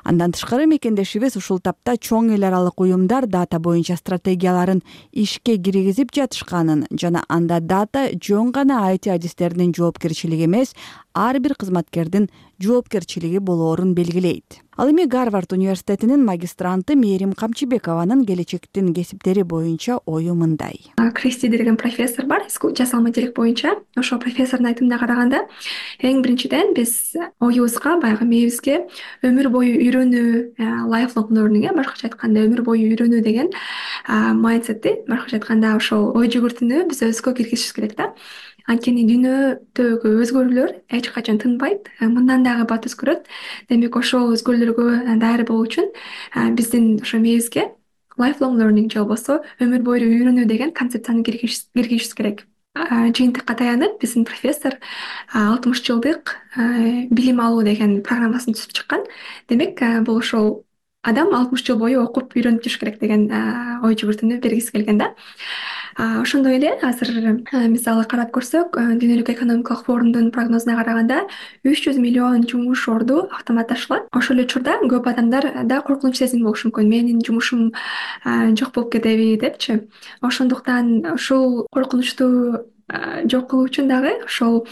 Андан тышкары мекендешибиз ушул тапта чоң эл аралык уюмдар дата боюнча стратегияларын ишке киргизип жатышканын жана анда дата жөн гана ай ти адистердин жоопкерчилиги эмес, ар бир кызматкердин жоопкерчилиги болоорун белгилейт. Ал эми Гарвард университетинин магистранты Мээрим Камчыбекованын келечектин кесиптери боюнча ою мындай. Кристи деген профессор бар, жасалма интеллект боюнча. Ошол профессордун айтымына караганда, эң биринчиден биз оюбузга, баягы мээбизге өмүр бою үйрөнүү, lifelong learning, башкача айтканда өмүр бою үйрөнүү деген майндсетти, башкача айтканда ошол ой жүгүртүүнү биз өзгө киргизишибиз керек да. Анткени дүйнөдөгү өзгөрүүлөр эч качан тынбайт, мындан дагы бат өзгөрөт. Демек ошол өзгөрүүлөргө даяр болуу үчүн биздин ошо мээбизге lifelong learning же болбосо өмүр бою үйрөнүү деген концепцияны киргизишибиз керек. Жыйынтыкка таянып биздин профессор алтымыш жылдык билим алуу деген программасын түзүп чыккан. Демек бул ошол адам алтымыш жыл бою окуп үйрөнүп жүрүш керек деген ой жүгүртүүнү бергиси келген да. Ошондой эле азыр мисалы карап көрсөк, Дүйнөлүк экономикалык форумдун прогнозуна караганда үч жүз миллион жумуш орду автоматташылат. Ошол эле учурда көп адамдар да коркунуч сезими болушу мүмкүн. Менин жумушум жок болуп кетеби депчи. Ошондуктан ушул коркунучту жок кылуу үчүн дагы ошол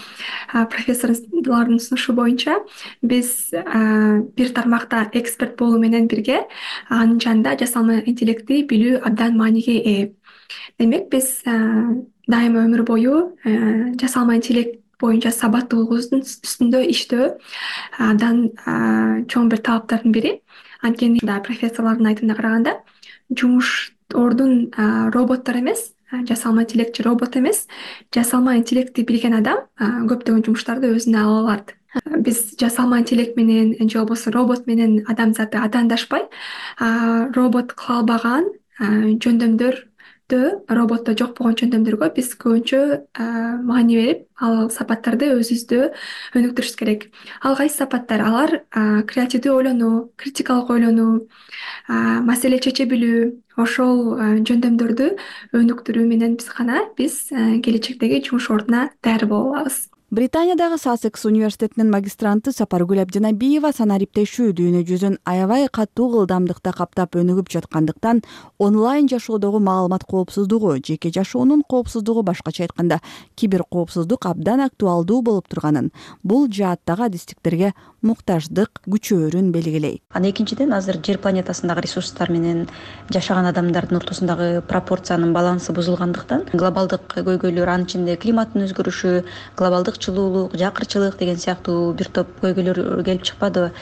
профессорлордун сунушу боюнча биз бир тармакта эксперт болуу менен бирге анын жанында жасалма интеллектти билүү абдан мааниге ээ. Демек биз дайыма өмүр бою жасалма интеллект боюнча сабаттуулугубуздун үстүндө иштөө абдан чоң бир талаптардын бири. Анткени профессорлордун айтымына караганда жумуш ордун роботтор эмес, жасалма интеллектчи робот эмес, жасалма интеллектти билген адам көптөгөн жумуштарды өзүнө ала алат. Биз жасалма интеллект менен же болбосо робот менен адамзаты адандашпай, робот кыла албаган жөндөмдөр роботто жок болгон жөндөмдөргө биз көбүнчө маани берип, ал сапаттарды өзүбүздө өнүктүрүшүбүз керек. Ал кайсы сапаттар? Алар креативдүү ойлонуу, критикалык ойлонуу, маселе чече билүү, ошол жөндөмдөрдү өнүктүрүү менен биз гана биз келечектеги жумуш ордуна даяр боло алабыз. Британиядагы Сассекс университетинин магистранты Сапаргүл Абдинабиева санариптешүү дүйнө жүзүн аябай катуу ылдамдыкта каптап өнүгүп жаткандыктан онлайн жашоодогу маалымат коопсуздугу, жеке жашоонун коопсуздугу, башкача айтканда кибер коопсуздук абдан актуалдуу болуп турганын, бул жааттагы адистиктерге муктаждык күчөөрүн белгилейт. Анан экинчиден азыр жер планетасындагы ресурстар менен жашаган адамдардын ортосундагы пропорциянын балансы бузулгандыктан глобалдык көйгөйлөр, анын ичинде климаттын өзгөрүшү, глобалдык жылуулук, жакырчылык деген сыяктуу бир топ көйгөйлөр келип чыкпадыбы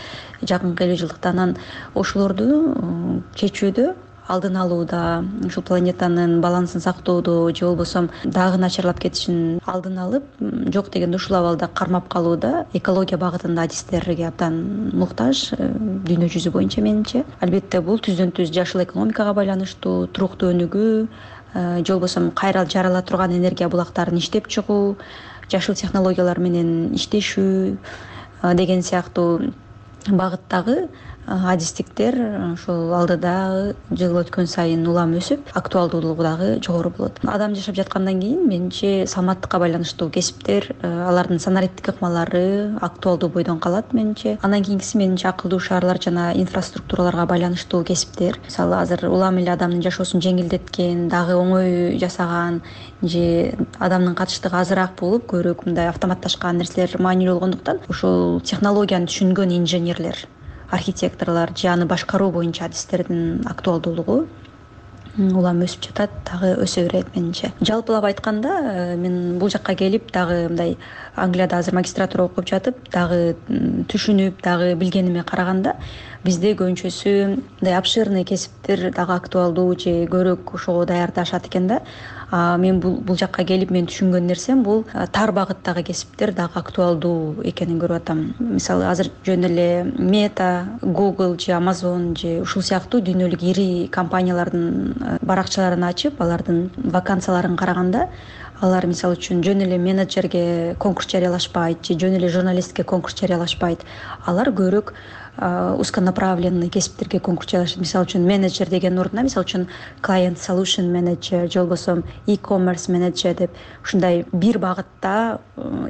жакынкы элүү жылдыкта. Анан ошолорду чечүүдө алдын алууда, ушул планетанын балансын сактоодо же болбосо дагы начарлап кетишин алдын алып, жок дегенде ушул абалда кармап калууда экология багытында адистерге абдан муктаж дүйнө жүзү боюнча менимче. Албетте бул түздөн түз жашыл экономикага байланыштуу, туруктуу өнүгүү, же болбосо кайра жарала турган энергия булактарын иштеп чыгуу, жашыл технологиялар менен иштешүү деген сыяктуу багыттагы адистиктер ушул алдыдагы жыл өткөн сайын улам өсүп, актуалдуулугу дагы жогору болот. Адам жашап жаткандан кийин менимче саламаттыкка байланыштуу кесиптер, алардын санариптик ыкмалары актуалдуу бойдон калат менимче. Андан кийинкиси менимче акылдуу шаарлар жана инфраструктураларга байланыштуу кесиптер. Мисалы азыр улам эле адамдын жашоосун жеңилдеткен, дагы оңой жасаган же адамдын катыштыгы азыраак болуп, көбүрөөк мындай автоматташкан нерселер маанилүү болгондуктан ушул технологияны түшүнгөн инженерлер, архитекторлор же аны башкаруу боюнча адистердин актуалдуулугу улам өсүп жатат, дагы өсө берет менимче. Жалпылап айтканда, мен бул жакка келип дагы мындай Англияда азыр магистратура окуп жатып, дагы түшүнүп, дагы билгениме караганда, бизде көбүнчөсү мындай обширный кесиптер дагы актуалдуу же көбүрөөк ошого даярдашат экен да. Мен бул бул жакка келип мен түшүнгөн нерсем бул тар багыттагы кесиптер дагы актуалдуу экенин көрүп атам. Мисалы азыр жөн эле Meta, Google же Amazon же ушул сыяктуу дүйнөлүк ири компаниялардын баракчаларын ачып, алардын вакансияларын караганда, алар мисалы үчүн жөн эле менеджерге конкурс жарыялашпайт же жөн эле журналистке конкурс жарыялашпайт. Алар көбүрөөк узконаправленный кесиптерге конкурс жарыялашат. Мисалы үчүн менеджер деген ордуна, мисалы үчүн client solution manager же болбосо e-commerce manager деп ушундай бир багытта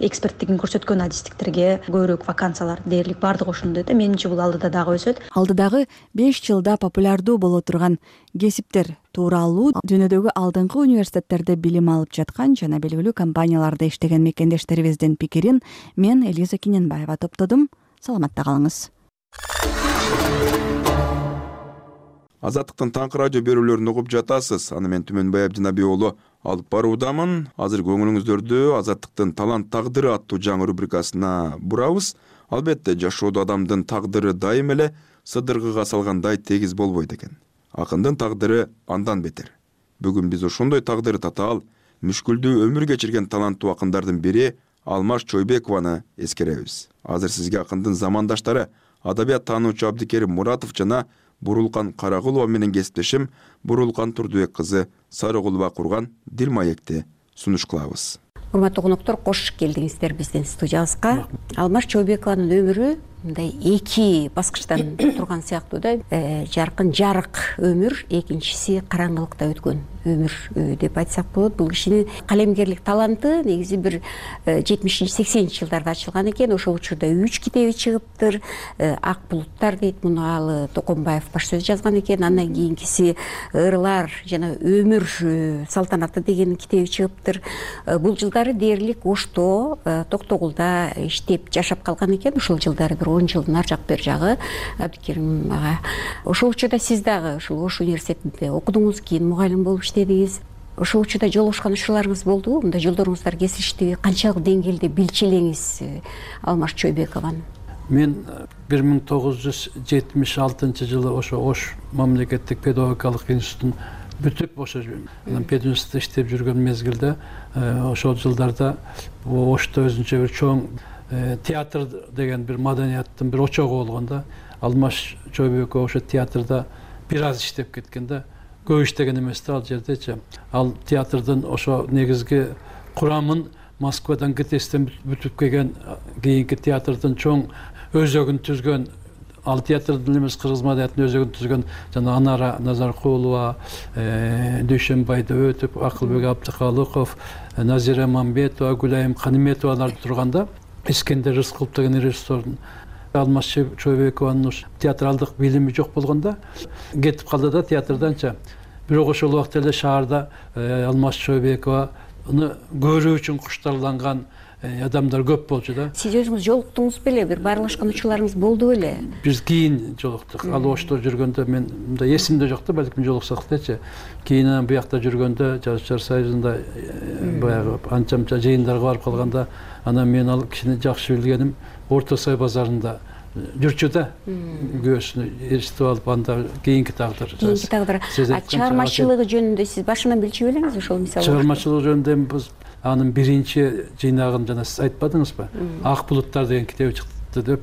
эксперттигин көрсөткөн адистиктерге көбүрөөк вакансиялар дээрлик баардыгы ошондой да. Менимче бул алдыда дагы өсөт. Алдыдагы беш жылда популярдуу боло турган кесиптер тууралуу дүйнөдөгү алдыңкы университеттерде билим алып жаткан жана белгилүү компанияларда иштеген мекендештерибиздин пикирин мен Элиза Киненбаева топтодум. Саламатта калыңыз. Азаттыктын таңкы радио берүүлөрүн угуп жатасыз. Аны мен Түмөнбай Абдинаби уулу алып баруудамын. Азыр көңүлүңүздөрдү Азаттыктын талант тагдыры аттуу жаңы рубрикасына бурабыз. Албетте жашоодо адамдын тагдыры дайым эле сыдыргыга салгандай тегиз болбойт экен. Акындын тагдыры андан бетер. Бүгүн биз ошондой тагдыры татаал, мүшкүлдүү өмүр кечирген таланттуу акындардын бири Алмаз Чойбекованы эскеребиз. Азыр сизге акындын замандаштары адабият таануучу Абдикерим Муратов жана Бурулкан Карагулова менен кесиптешим Бурулкан Турдубек кызы Сарыгулова курган дил маекти сунуш кылабыз. Урматтуу коноктор, кош келдиңиздер биздин студиябызга. Алмаз Чойбекованын өмүрү мындай эки баскычтан турган сыяктуу да. Жаркын жарык өмүр, экинчиси караңгылыкта өткөн өмүр деп айтсак болот. Бул кишинин калемгерлик таланты негизи бир жетимишинчи сексенинчи жылдарда ачылган экен. Ошол учурда үч китеби чыгыптыр. Ак булуттар дейт, муну ал Токомбаев баш сөз жазган экен. Андан кийинкиси Ырлар жана өмүр салтанаты деген китеби чыгыптыр. Бул жылдары дээрлик Ошто, Токтогулда иштеп жашап калган экен. Ушул жылдары бир он жылдын ар жак бер жагы Абдикерим ага. Ошол учурда сиз дагы ушул Ош университетинде окудуңуз, кийин мугалим болуп иштедиңиз. Ошол учурда жолугушкан учурларыңыз болдубу? Мындай жолдоруңуздар кесиштиби? Канчалык деңгээлде билчү элеңиз Алмаз Чойбекованы? Мен бир миң тогуз жүз жетимиш алтынчы жылы ошо Ош мамлекеттик педагогикалык институтун бүтүп ошо пединститутта иштеп жүргөн мезгилде ошол жылдарда Ошто өзүнчө бир чоң театр деген бир маданияттын бир очогу болгон да. Алмаз Чойбеков ошо театрда бир аз иштеп кеткен да. Көп иштеген эмес да ал жердечи. Ал театрдын ошо негизги курамын Москвадан ГТСтен бүтүп келген кийинки театрдын чоң өзөгүн түзгөн, ал театрдын эмес кыргыз маданияттын өзөгүн түзгөн жана Анара Назаркулова, Дүйшөнбайды өтүп, Акылбек Абдыкалыков, Назира Мамбетова, Гүлайым Каниметовалар турганда, Искендер Рыскулов деген режиссердун Алмаз Чойбекованын театралдык билими жок болгондо кетип калды да театрданча. Бирок ошол убакта эле шаарда Алмаз Чойбекованы көрүү үчүн куштарланган адамдар көп болчу да. Сиз өзүңүз жолуктуңуз беле? Бир баарлашкан учурларыңыз болду беле? Биз кийин жолуктук. Ал Ошто жүргөндө мен мындай эсимде жок да, балким жолуксак дечи. Кийин буякта жүргөндө Жазушылар союзунда баягы анча-мынча жыйындарга барып калганда, анан мен ал кишини жакшы билгеним Орто Сай базарында жүрчү да күйөөсүнү эстип алып анда кийинки тагдыр кийинки тагдыр чыгармачылыгы жөнүндө сиз башынан билчү белеңиз ошол мисалы чыгармачылыгы жөнүндө биз анын биринчи жыйнагын жана сиз айтпадыңызбы ак булуттар деген китеби чыкты деп.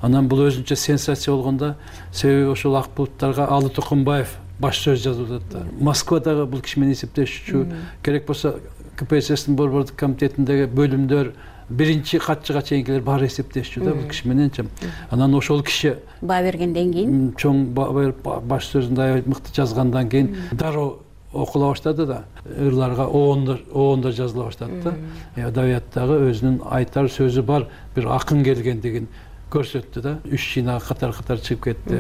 Анан бул өзүнчө сенсация болгондо себеби ошол ак булуттарга Алы Тукумбаев баш сөз жазып атат. Москвадагы бул киши менен эсептешүүчү керек болсо ка пэ эс эстин борбордук комитетиндеги бөлүмдөр биринчи катчыга чейинкилер баары эсептешчү да бул киши мененчи. Анан ошол киши баа бергенден кийин чоң баш сөзүндө аябай мыкты жазгандан кийин дароо окула баштады да, ырларга оондор оондор жазыла баштады да. Адабияттагы өзүнүн айтар сөзү бар бир акын келгендигин көрсөттү да. Үч жыйнак катар-катар чыгып кетти.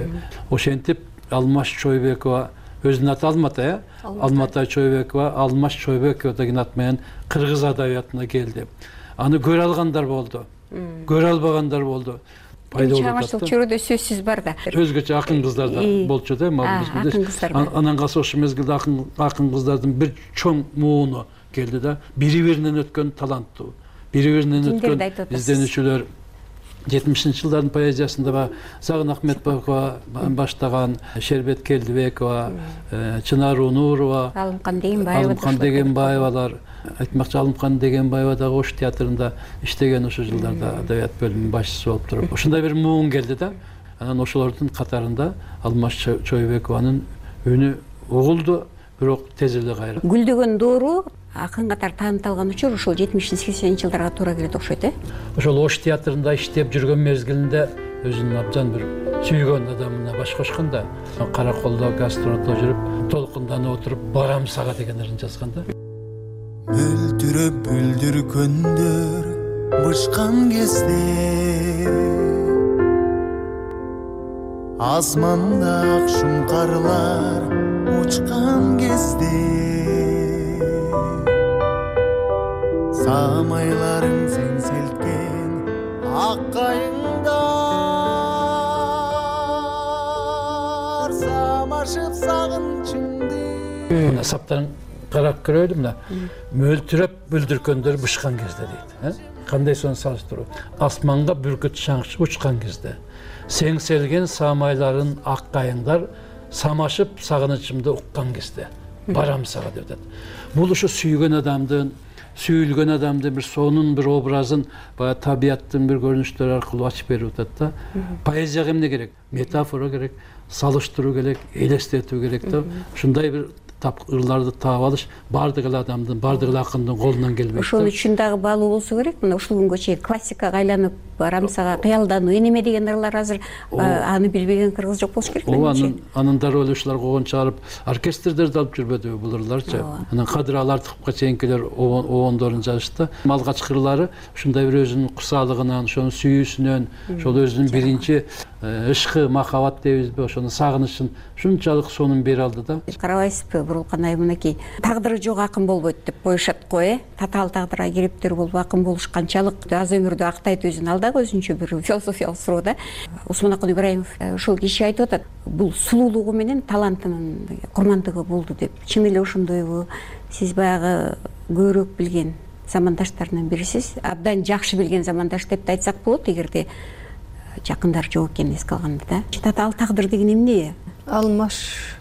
Ошентип Алмаш Чойбекова өзүнүн аты Алмата, э? Алмата Чойбекова, Алмаш Чойбекова деген ат менен кыргыз адабиятына келди. Аны көрө алгандар болду, көрө албагандар болду. Чыгармачылык чөйрөдө сөзсүз бар да. Өзгөчө акын кыздар да болчу да, анан калса ошол мезгилде акын акын кыздардын бир чоң мууну келди да. Бири-биринен өткөн таланттуу, бири-биринен өткөн изденүүчүлөр. жетимишинчи жылдардын поэзиясында ба Загын Ахметбекова баштаган, Шербет Келдибекова, Чынар Унурова, Алымкан Дегенбаева, Алымкан Дегенбаевалар, айтмакчы Алымкан Дегенбаева дагы Ош театрында иштеген ошол жылдарда адабият бөлүмүнүн башчысы болуп туруп. Ошондой бир муун келди да. Анан ошолордун катарында Алмаш Чойбекованын үнү угулду, бирок тез эле кайра. Гүлдөгөн доору акын катары таанытылган учур ошол жетимиш сексенинчи жылдарга туура келет окшойт, э? Ошол Ош театрында иштеп жүргөн мезгилинде өзүнүн абдан бир сүйгөн адамына баш кошкон да. Караколдо гастролдо жүрүп, толкунданып отуруп, барам сага деген ырын жазган да. Мөлтүрөп бүлдүр күндөр бышкан кезде асманда ак шумкарлар учкан кезде самайларың сен селткен ак кайыңдар самашып сагынчыңды. Мына саптарын карап көрөлү, мына мөлтүрөп бүлдүркөндөр бышкан кезде дейт. Кандай сону салыштыруу? Асманга бүркүт шаңчы учкан кезде, сеңселген самайларын ак кайыңдар самашып сагынычымды уккан кезде барам сага деп атат. Бул ушу сүйгөн адамдын, сүйүлгөн адамдын бир сонун бир образын баягы табияттын бир көрүнүштөрү аркылуу ачып берип атат да. Поэзияга эмне керек? Метафора керек, салыштыруу керек, элестетүү керек да. Ушундай бир ырларды таап алыш баардык эле адамдын, баардык эле акындын колунан келбейт. Ошол үчүн дагы баалуу болсо керек. Мына ушул күнгө чейин классикага айланып барам сага, кыялдануу, энеме деген ырлар азыр аны билбеген кыргыз жок болуш керек. Ооба, анын анын дароо эле ушулар койгон чыгарып, оркестрдерди алып жүрбөдүбү бул ырларчы. Анан Кадыр Алартыповго чейинкилер оондорун жазышты. Алгачкы ырлары ушундай бир өзүнүн курсаалыгынан, ошонун сүйүүсүнөн, ошол өзүнүн биринчи ышкы, махаббат дейбизби, ошонун сагынычын ушунчалык сонун бере алды да. Карабайсызбы, Бурулкан айым мынакей тагдыры жок акын болбойт деп коюшат го, э? Татаал тагдырга кириптер болуп акын болуш канчалык аз өмүрдө актайт өзүн, ал дагы өзүнчө бир философиялык суроо да. Усманакын Ибраимов ушул киши айтып атат, бул сулуулугу менен талантынын курмандыгы болду деп. Чын эле ошондойбу? Сиз баягы көбүрөөк билген замандаштарынан бирисиз, абдан жакшы билген замандаш деп да айтсак болот, эгерде жакындар жок экенин эске алганда да. Татаал тагдыр деген эмне? Алмаш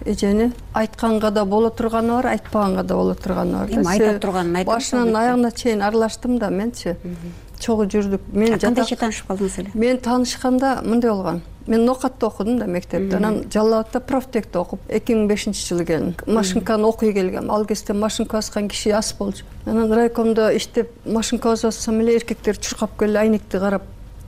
эжени айтканга да боло турганы бар, айтпаганга да боло турганы бар. Эми айта турганын айтып, башынан аягына чейин аралаштым да менчи. Чогуу жүрдүк. Мен кандайча таанышып калдыңыз эле? Мен таанышканда мындай болгон. Мен Нокатта окудум да мектепте. Анан Жалал Абадта профтекте окуп, эки миң бешинчи жылы келдим. Машинканы окуй келгем. Ал кезде машинка баскан киши аз болчу. Анан райкомдо иштеп, машинка бассам эле эркектер чуркап келип айнекти карап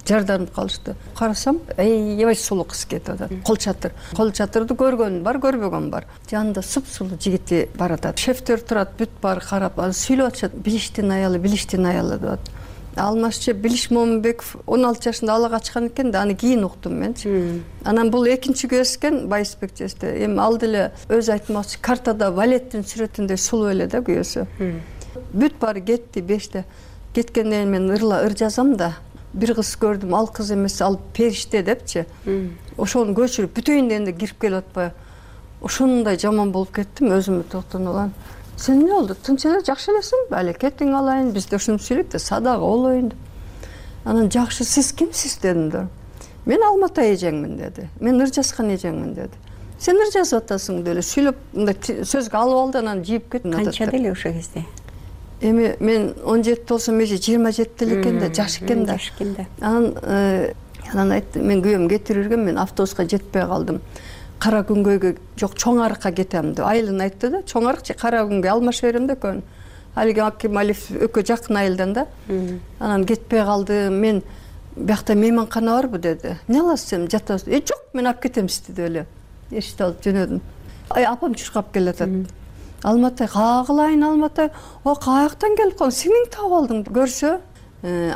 жарданып калышты. Карасам, аябай сулуу кыз кетип атат. Кол чатыр. Кол чатырды көргөн бар, көрбөгөн бар. Жанында суп-сулуу жигити бар атат. Шефтер турат, бүт бар карап, ал сүйлөп атышат. Билиштин аялы, билиштин аялы деп атат. Алмашчы Билиш Момунбеков он алты жашында алага чыккан экен да, аны кийин уктум менчи. Анан бул экинчи көз экен, Байысбек жесте. Эми ал деле өзү айтмакчы, картада балеттин сүрөтүндөй сулуу эле да күйөөсү. Бүт баары кетти беште. Кеткенден кийин мен ырла ыр жазам да. Бир кыз көрдүм, ал кыз эмес, ал периште депчи. Ошону көчүрүп бүтөйүн дегенде кирип келип атпайбы. Ошондой жаман болуп кеттим, өзүмө токтонуп алам. Сен эмне болду? Тынч эле, жакшы элесиң? Бали кетиң алайын, бизде ушуну сүйлөйт да, садагы болоюн деп. Анан жакшы, сиз кимсиз дедим да. мен Алматы эжеңмин деди, мен ыр жазган эжеңмин деди. Сен ыр жазып атасың деле сүйлөп мындай сөзгө алып алды, анан жийип кетти. Канчада эле ошол кезде? Эми мен он жети болсом эже жыйырма жетиде эле экен да, жаш экен да. Жаш экен да. Анан анан айтты, мен күйөөм кетирирген, мен автобуска жетпей калдым. Кара күнгөйгө жок, Чоң Арыкка кетем деп. Айылын айтты да, Чоң Арык же Кара күнгөй алмаша берем да экөөнү. Алиги Акималиев экөө жакын айылдан да. Анан кетпей калдым. Мен биякта мейманкана барбы деди. Эмне аласыз сен, жатасыз? Э, жок, мен алып кетем сизди деп эле. Эшикти алып жөнөдүм. Ай, апам чуркап келатат. Алматы, кагылайын Алматы. О, каяктан келип калдың? Сиңиң таап алдың. Көрсө,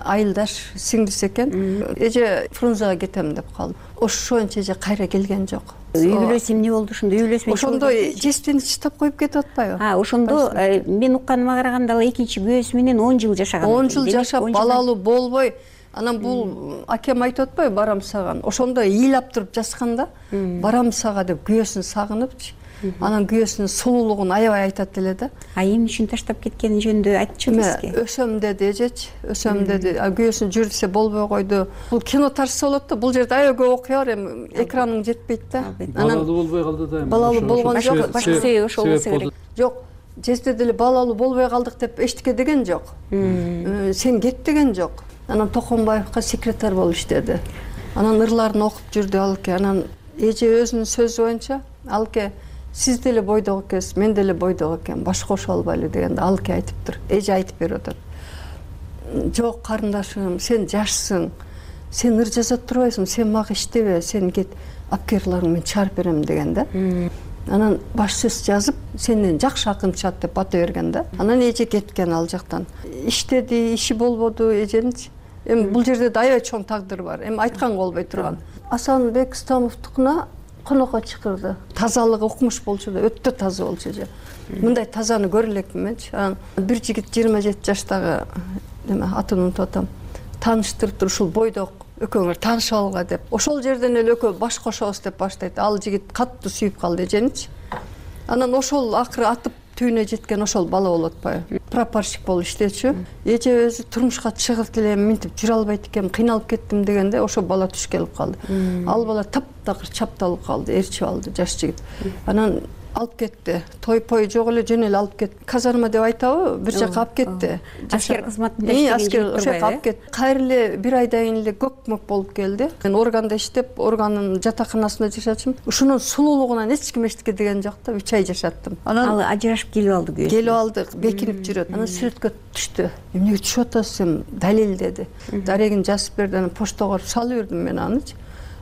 айылдаш сиңдиси экен. Эже Фрунзага кетем деп калдым. Ошончо эже кайра келген жок. Үй бүлөсү эмне болду ошондо? Үй бүлөсү ошондо жестени чыштап коюп кетип атпайбы? А, ошондо мен укканыма караганда ал экинчи күйөөсү менен он жыл жашаган. он жыл жашап, балалуу болбой, анан бул акем айтып атпайбы, барам саган. Ошондо ыйлап туруп жазганда, барам сага деп күйөөсүн сагынып, анан күйөөсүнүн сулуулугун аябай айтат эле да. А эмне үчүн таштап кеткени жөнүндө айтчу бизге? Өсөм деди эжечи, өсөм деди. Күйөөсүн жүр десе болбой койду. Бул кино тарса болот да, бул жерде аябай көп окуя бар, эми экраның жетпейт да. Балалуу болбой калды да. Балалуу болгон жок, башка себеби ошол болсо керек. Жок, жезде деле балалуу болбой калдык деп эчтеке деген жок. Сен кет деген жок. Анан Токонбаевка секретарь болуп иштеди. Анан ырларын окуп жүрдү алке. Анан эже өзүнүн сөзү боюнча, алке сиз деле бойдок экенсиз, мен деле бойдок экем, баш кошо албайлы дегенде алке айтыптыр. Эже айтып берип атат. Жок карындашым, сен жашсың. Сен ыр жаза турбайсың, сен мага иштебе, сен кет, апкерларың мен чыгарып берем деген да. Анан баш сөз жазып, сенден жакшы акын чыгат деп бата берген да. Анан эже кеткен ал жактан. Иштеди, иши болбоду эженичи. Эми бул жерде да аябай чоң тагдыр бар. Эми айтканга болбой турган. Асанбек Стамовдукуна конокко чакырды. Тазалыгы укмуш болчу да, өтө таза болчу эже. Мындай тазаны көрө элекмин менчи. Анан бир жигит жыйырма жети жаштагы, эме атын унутуп атам, тааныштырып ушул бойдок экөөңөр таанышып алга деп. Ошол жерден эле экөө баш кошобуз деп баштайт. Ал жигит катты сүйүп калды эженичи. Анан ошол акыры атып түйүнө жеткен ошол бала болуп атпайбы? Прапорщик болуп иштечү. Эже өзү турмушка чыгып элем, минтип жүрө албайт экем, кыйналып кеттим дегенде ошол бала түш келип калды. Ал бала таптакыр чапталып калды, ээрчип алды жаш жигит. Анан алып кетти. Той-пой жок эле жөн эле алып кетти. Казарма деп айтабы, бир жака алып кетти. Аскер кызматында иштеген аскер ошо алып кетти. Кайра эле бир айдан кийин эле көк-мөк болуп келди. Мен органда иштеп, органдын жатаканасында жашачым. Ушунун сулуулугунан эч ким эчтеке деген жок да, үч ай жашаттым. Анан ал ажырашып келип алды күйөөсү. Келип алды, бекинип жүрөт. Анан сүрөткө түштү. Эмнеге түшүп атасыз сен? Далил деди. Дарегин жазып берди, анан поштага салып бердим мен анычы.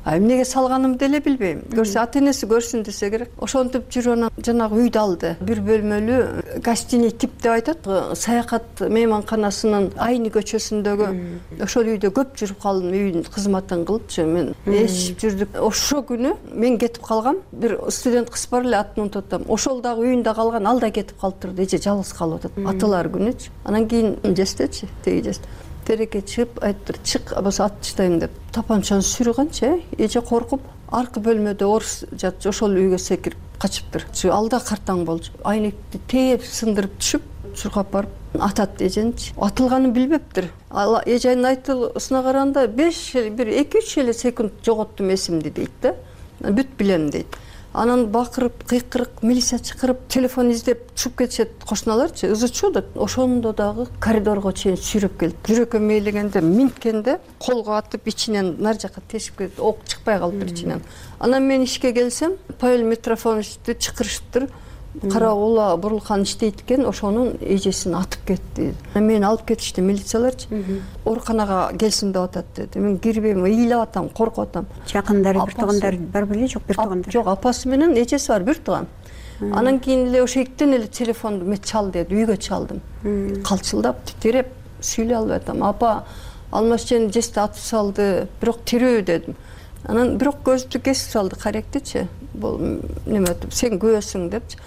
А эмнеге салганымды деле билбейм. Көрсө ата энеси көрсүн десе керек. Ошентип жүрүп анан жанагы үйдү алды. Бир бөлмөлүү гостиный тип деп айтат. Саякат мейманканасынын Айны көчөсүндөгү ошол үйдө көп жүрүп калдым, үйдүн кызматын кылыпчы. Мен эшип жүрдүк. Ошо күнү мен кетип калгам. Бир студент кыз бар эле, атын унутуп атам. Ошол дагы үйүндө калган, ал да кетип калыптыр. Эже жалгыз калып атат. Аталар күнүчү. Анан кийин жестечи, теги жест. Тереке чыгып айттыр, чык, болсо ат таштайм деп. Тапанчаны сүйрөгөнчү, эже коркуп, аркы бөлмөдө орус жатчу, ошол үйгө секирип качыптыр. Ал да картаң болчу. Айнекти тээп, сындырып түшүп, чуркап барып атат эженичи. Атылганын билбептир. Ал эженин айтылысына караганда беш бир эки үч эле секунд жоготтум эсимди дейт да. Бүт билем дейт. Анан бакырып, кыйкырык, милиция чакырып, телефон издеп чыгып кетишет кошуналарчы, ызычуу да. Ошондо дагы коридорго чейин сүйрөп келди. Жүрөккө мейлегенде, минткенде колго атып ичинен нар жака тешип кетти. Ок чыкпай калыптыр ичинен. Анан мен ишке келсем, Павел Митрофановичти чакырышыптыр. Кара ула Бурулхан иштейт экен, ошонун эжесин атып кетти. Мени алып кетишти милицияларчы. Ооруканага келсин деп атат деди. Мен кирбейм, ыйлап атам, коркуп атам. Жакындары, бир туугандар бар беле, жок бир туугандар? Жок, апасы менен эжеси бар, бир тууган. Анан кийин эле ошо эктен эле телефонду мен чал деди, үйгө чалдым. Калчылдап, титиреп, сүйлөй албай атам. Апа, Алмашжан жести атып салды, бирок тирүү дедим. Анан бирок көздү кесип салды, каректичи. Бул неме өтүп, сен күйөөсүң депчи.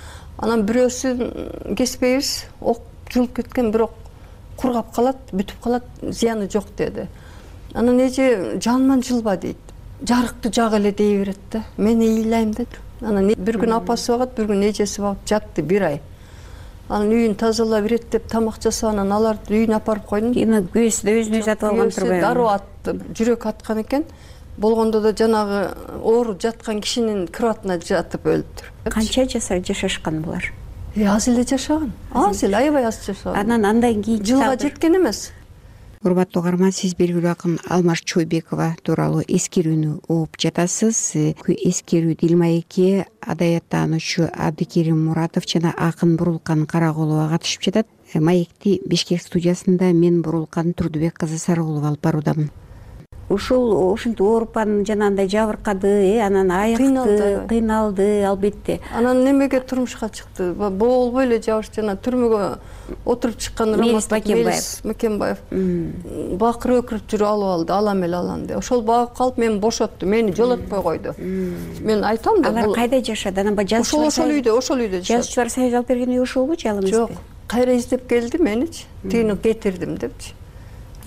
Анан бирөөсүн кеспейбиз, ок жылып кеткен, бирок кургап калат, бүтүп калат, зыяны жок деди. Анан эже жанман жылба дейт. Жарыкты жак эле дей берет да. Мен ыйлайм деди. Анан бир күн апасы багат, бир күн эжеси багып жатты бир ай. Анан үйүн тазалап берет деп тамак жасап, анан аларды үйүнө апарып койдум. Эми күйөөсү да өзүнө өзү атып алган турбайбы? Дароо атты, жүрөк аткан экен. болгондо да жанагы ооруп жаткан кишинин кроватына жатып өлүптүр. Канча жашашкан булар? Аз эле жашаган. Аз эле, аябай аз жашаган. Анан андан кийин жылга жеткен эмес. Урматтуу угарман, сиз белгилүү акын Алмаз Чойбекова тууралуу эскерүүнү угуп жатасыз. Эскерүү Дилмаекке адаяттануучу Абдикерим Муратов жана акын Бурулкан Карагулова катышып жатат. Маекти Бишкек студиясында мен Бурулкан Турдубек кызы Сарыгулова алып баруудамын. Ушул ушинтип ооруп анан жанагындай жабыркады, анан айыкты, кыйналды албетте. Анан немеге турмушка чыкты? Болбой эле жабыш жана түрмөгө отуруп чыккан Рамазан Мекенбаев бакырып өкүрүп жүрүп алып алды, алам эле алам деп. Ошол багып калып мени бошотту, мени жолотпой койду. Мен айтам да, алар кайда жашады? Анан ошол ошол үйдө, ошол үйдө жашады. Жазуучулар союзу алып берген үй ошолбу же ал эмеспи? Жок, кайра издеп келди меничи, тигини кетирдим депчи.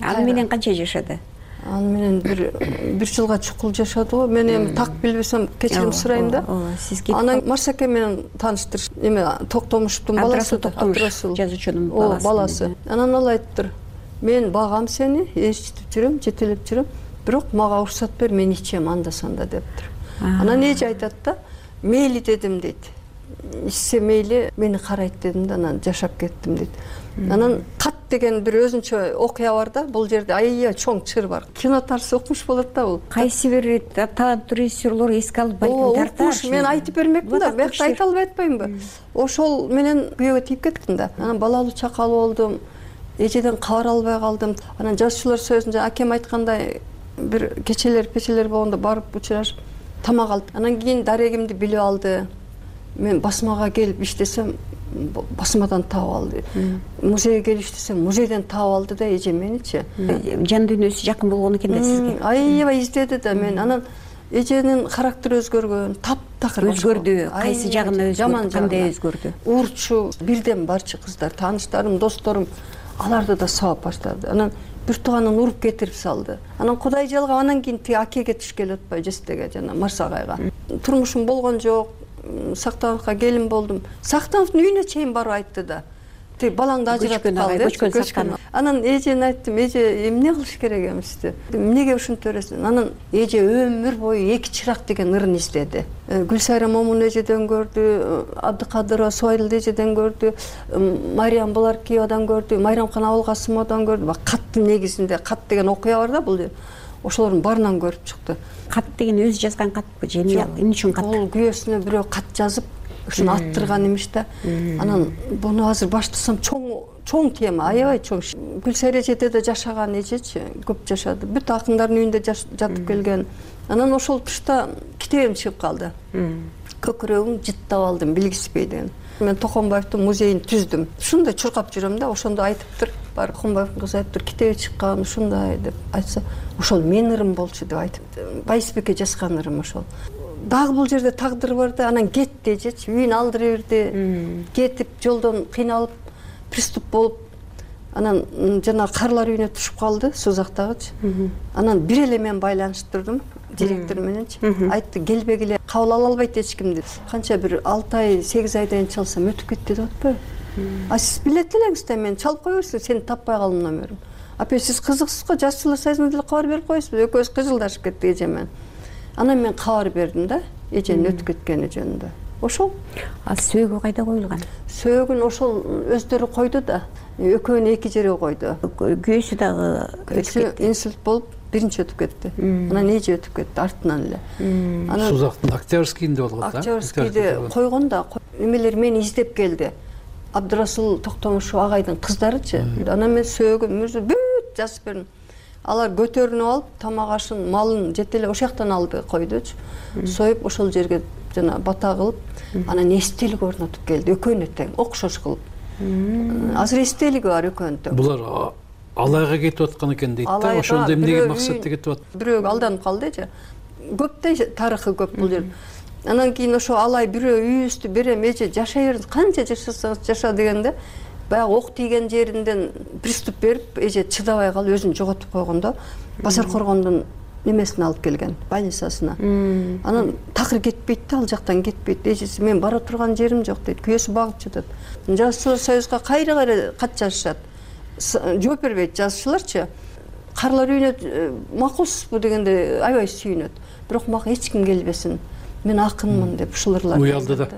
Ал менен канча жашады? Ал менен бир бир жылга чукул жашады го. Мен эми так билбесем кечирим сурайм да. Анан Марсаке менен тааныштырыш, эме Токтомушевдун баласы, Абдрасул жазуучунун баласы. баласы. Анан ал айттыр: "Мен багам сени, эчитип жүрөм, жетелеп жүрөм, бирок мага уруксат бер, мен ичем анда санда" дептир. Анан эже айтат да: "Мейли дедим" дейт. "Ичсе мейли, мени карайт" дедим да, анан жашап кеттим дейт. Анан кат деген бир өзүнчө окуя бар да, бул жерде аябай чоң чыр бар. Кино тарсы укмуш болот да бул. Кайсы бир таланттуу режиссерлор эске алып балким тартар. Мен айтып бермекмин да, бияқта айта албай атпаймынбы? Ошол менен күйөөгө тийип кеттим да. Анан балалуу чакалуу болдум. Эжеден кабар албай калдым. Анан жазуучулар союзунда акем айткандай бир кечелер, печелер болгондо барып учурашып тамак алды. Анан кийин дарегимди билип алды. Мен басмага келип иштесем, басмадан таап алды. Музейге келип иштесем, музейден таап алды да эже меничи. Жан дүйнөсү жакын болгон экен да сизге. Аябай издеди да мен. Анан эженин характери өзгөргөн, таптакыр өзгөрдү. Кайсы жагына өзгөрдү, кандай өзгөрдү? Урчу, бирден барчы кыздар, тааныштарым, досторум аларды да сабап баштады. Анан бир тууганын уруп кетирип салды. Анан Кудай жалгап, анан кийин тиги акеге түшкеле атпай, жестеге жана Марсагайга. Турмушум болгон жок. Сактановго келин болдум. Сактановдун үйүнө чейин барып айтты да. Тиги балаңды ажыратып кал деп. Анан эжене айттым: "Эже, эмне кылыш керек эмести? Эмнеге ушинтип бересиң?" Анан эже өмүр бою эки чырак деген ырын издеди. Гүлсайра Момун эжеден көрдү, Абдыкадырова Суайыл эжеден көрдү, Мариям Буларкиевадан көрдү, Майрамкан Абылкасымовдон көрдү. Каттын негизинде, кат деген окуя бар да бул жер. Ошолордун баарынан көрүп чыкты. Кат деген өзү жазган катпы же эмне үчүн кат? Бул күйөөсүнө бирөө кат жазып, ушуну аттырган имиш да. Анан буну азыр баштасам чоң чоң тема, аябай чоң. Гүлсайра эжеде да жашаган эжечи, көп жашады. Бүт акындардын үйүндө жатып келген. Анан ошол тушта китебим чыгып калды. Көкүрөгүң жыттап алдым, билгиспей деген. Мен Токонбаевдин музейин түздүм. Ушундай чуркап жүрөм да, ошондо айтыптыр. Бар Токонбаевдин кызы айтыптыр, китеби чыккан, ушундай деп айтса, ошол мен ырым болчу деп айтыптыр. Байсбекке жазган ырым ошол. Дагы бул жерде тагдыр бар да, анан кетти эжечи, үйүн алдыра берди. Кетип жолдон кыйналып, приступ болуп, анан жана карлар үйүнө түшүп калды, Сузактагычы. Анан бир эле мен байланыштырдым директор мененчи. Айтты: "Келбегиле, кабыл ала албайт эч ким" деп. Канча бир алты ай, сегиз айдан чалсам өтүп кетти деп атпайбы? А сиз билет элеңиз да, мен чалып кое берсиң, сени таппай калдым номерин. Апа, сиз кызыксыз го, жазуучулар союзуна деле кабар берип коесузбу? Экөөбүз кыжылдашып кеттик эже менен. Анан мен кабар бердим да, эженин өтүп кеткени жөнүндө. Ошол. А сөөгү кайда коюлган? Сөөгүн ошол өздөрү койду да. Экөөнү эки жерге койду. Күйөөсү дагы өтүп кетти. Инсульт болуп, биринчи өтүп кетти. Анан эже өтүп кетти артынан эле. Анан Сузактын Октябрьскийинде болгон да. Октябрьскийде койгон да, эмелер мени издеп келди. Абдрасул Токтомушев агайдын кыздарычы. Анан мен сөөгүн бүт жазып бердим. Алар көтөрүнүп алып, тамак ашын, малын жетелеп ошол жактан алды, койдучу. Союп ошол жерге жана бата кылып, анан эстелик орнотуп келди. Экөөнү тең, окшош кылып. Азыр эстелиги бар экөөнүн тең. Булар алайга кетип аткан экен дейт да. Ошондо эмнеге максатта кетип атты? Бирөө алданып калды эже. Көп да тарыхы көп бул жер. Анан кийин ошо алай бирөө үйүбүздү берем, эже жашай бериңиз, канча жашасаңыз жаша дегенде, баягы ок тийген жеринден приступ берип, эже чыдабай калып өзүн жоготуп койгондо, Базар Коргондун немесине алып келген, больницасына. Анан такыр кетпейт да, ал жактан кетпейт. Эжеси: "Мен бара турган жерим жок" дейт. Күйөөсү багып жатат. Жазуучулар союзга кайра-кайра кат жазышат. Жооп бербейт жазуучуларчы. карлар үйүнө макулсузбу дегенде аябай сүйүнөт. Бирок мага эч ким келбесин, мен акынмын деп ушул ырларды уялды да.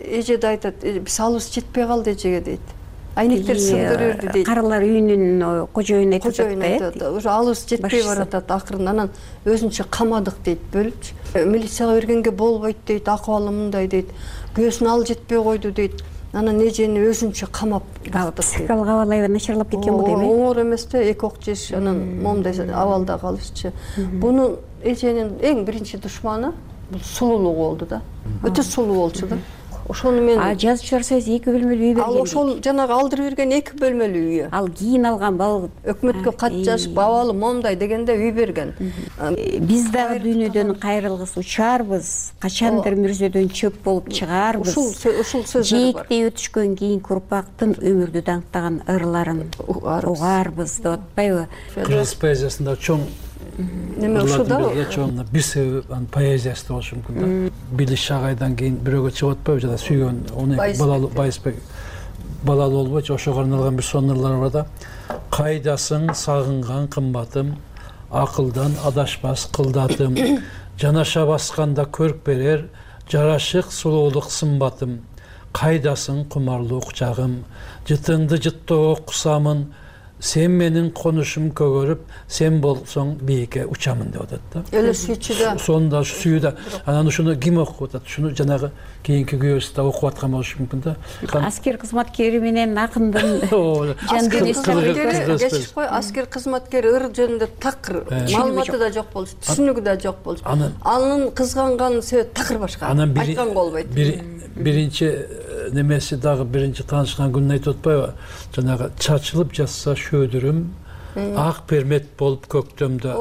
Эже да айтат, биз алыбыз жетпей калды эжеге дейт. Айнектер сындырып берди дейт. Карлар үйүнүн кожоюну айтып Кожоюну айтат. Уже алыбыз жетпей баратат акырын. Анан өзүнчө камадык дейт, бөлүпчү. Милицияга бергенге болбойт дейт, акыбалы мындай дейт. Күйөөсүн ал жетпей койду дейт. Анан эжени өзүнчө камап психикалык абалы аябай начарлап кеткен бул эми. Оор эмес да, эки ок жеш, анан момундай абалда калышчы. Бунун эженин эң биринчи душманы бул сулуулугу болду да. Өтө сулуу болчу да. Ошону мен А жазуучулар союзу эки бөлмөлүү үй берген. Ал ошол жанагы алдырып берген эки бөлмөлүү үйү. Ал кийин алган бал өкмөткө кат жазып абалы момундай дегенде үй берген. Биз дагы дүйнөдөн кайрылгыс учарбыз, качандыр мүрзөдөн чөп болуп чыгаарбыз. Ушул ушул сөздөр бар. Жээктей өтүшкөн кийинки урпактын өмүрдү даңктаган ырларын угаарбыз деп атпайбы? Кыргыз поэзиясында чоң Неме ушуда чоң бир себеп анын поэзиясы болушу мүмкүн да. Билиш Шагайдан кийин бирөөгө чыгып атпайбы жана сүйгөн он эки балалуу Байысбек балалуу болбойчу, ошого арналган бир сонун ырлар бар да. Кайдасың сагынган кымбатым, акылдан адашпас кылдатым, жанаша басканда көрк берер, жарашык сулуулук сымбатым, кайдасың кумарлуу кучагым, жытыңды жыттоо кусамын, сен менин конушум көгөрүп, сен болсоң бийикке учамын деп атат да. Эле сүйчү да. Сонда сүйүү да. Анан ушуну ким окуп атат? Шуну жанагы кийинки күйөөсү да окуп аткан болушу мүмкүн да. Аскер кызматкери менен акындын жан дүнүйөсү кечип кой, аскер кызматкери ыр жөнүндө такыр маалыматы да жок болчу, түшүнүгү да жок болчу. Анын кызганган себеби такыр башка. Айтканга болбойт. Биринчи немеси дагы биринчи таанышкан күнүн айтып атпайбы? Жанагы чачылып жатса шөөдүрүм, ак пермет болуп көктөмдө,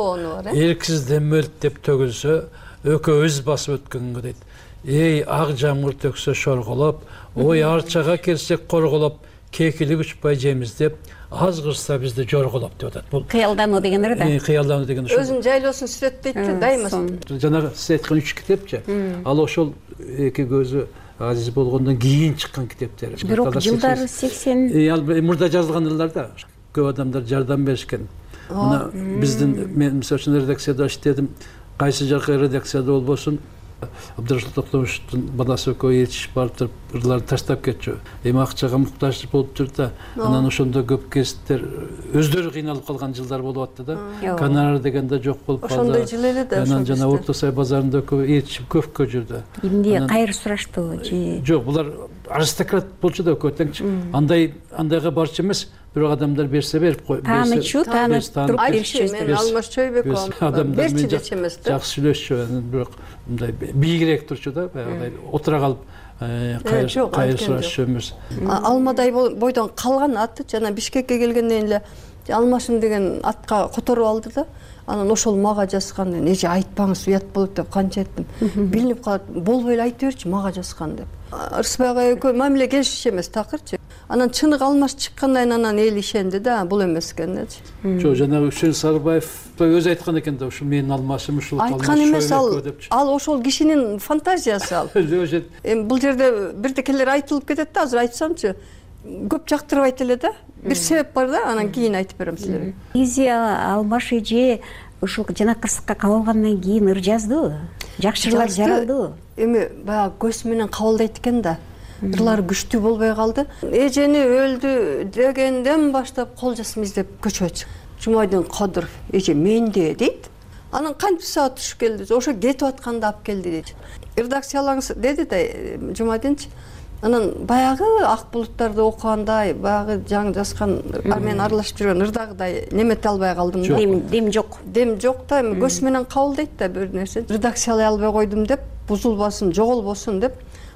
эрксиз демөлт деп төгүлсө, өкөбүз басып өткөнгө дейт. Эй, ак жамгыр төксө шорголоп, ой арчага келсек корголоп, кекилип учпай жеймиз деп, аз кырса бизди жорголоп деп атат. Бул кыялдануу деген ыр да. Кыялдануу деген ошол. Өзүн жайлоосун сүрөттөйт да, дайыма. Жанагы сиз айткан үч китепчи, ал ошол эки көзү азиз болгондон кийин чыккан китептер. Бирок жылдары сексен Ал мурда жазылган ырлар да. Көп адамдар жардам беришкен. Мына биздин мен мисалы үчүн редакцияда иштедим. Кайсы жака редакцияда болбосун, Абдрашыл Токтомушевдун баласы экөө ээрчишип барып туруп ырларды таштап кетчү. Эми акчага муктаж болуп тур да. Анан ошондо көп кесиптер өздөрү кыйналып калган жылдар болуп атты да. Гонорар деген да жок болуп калды. Ошондой жыл эле да. Анан жана Орто Сай базарында экөө ээрчишип көпкө жүрдү. Эмне кайыр сураштыбы же? Жок, булар аристократ болчу да экөө теңчи. Андай андайга барчу эмес. Бирок адамдар берсе берип кой. Таанычу, таанып туруп беришчү. Мен Алмаз Чойбеков адамдар менен жакшы сүйлөшчү. Бирок мындай бийигирээк турчу да, баягыдай отура калып кайыр сурашчу эмес. Алмадай бойдон калган аты жана Бишкекке келгенден эле Алмашым деген атка которуп алды да. Анан ошол мага жазган, эже айтпаңыз уят болот деп канча айттым. Билинип калат, болбой эле айта берчи мага жазган деп. Ырысбай ага экөө мамиле келишчү эмес такырчы. Анан чыныгы Алмаш чыккандан кийин анан эл ишенди да, бул эмес экенчи. Жок, жанагы Үчөн Сарыбаев өзү айткан экен да, ушул менин Алмашым, ушул айткан эмес, ал ал ошол кишинин фантазиясы ал. Эми бул жерде бирдекелер айтылып кетет да, азыр айтсамчы, көп жактырбайт эле да. Бир себеп бар да, анан кийин айтып берем силерге. Негизи Алмаш эже ушул жана кырсыкка кабылгандан кийин ыр жазды. Жакшы ырлар жаралды. Эми баягы көз менен кабылдайт экен да. Ырлар күчтүү болбой калды. Эжени өлдү дегенден баштап кол жазма издеп көчөгө чыкты. Жумайдын Кадыров эже менде дейт. Анан кантип саат түшүп келди? Ошо кетип атканда алып келди дейт. Редакциялаңыз деди да Жумайдынчы. Анан баягы ак булуттарды окугандай, баягы жаңы жазган мен аралашып жүргөн ырдагыдай немете албай калдым. Дем дем жок. Дем жок да, эми көз менен кабылдайт да бир нерсе. Редакциялай албай койдум деп, бузулбасын, жоголбосун деп,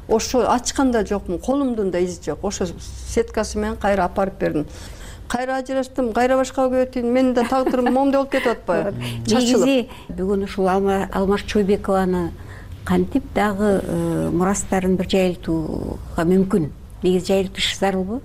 ошо ачканда жокмун, колумдун да изи жок. Ошо сеткасы менен кайра апарып бердим. Кайра ажыраштым, кайра башка өтүн, менин да тагдырым момундай болуп кетип атпайбы? Негизи бүгүн ушул Алмаш Чойбекованы кантип дагы мурастарын бир жайылтууга мүмкүн? Негизи жайылтыш зарылбы?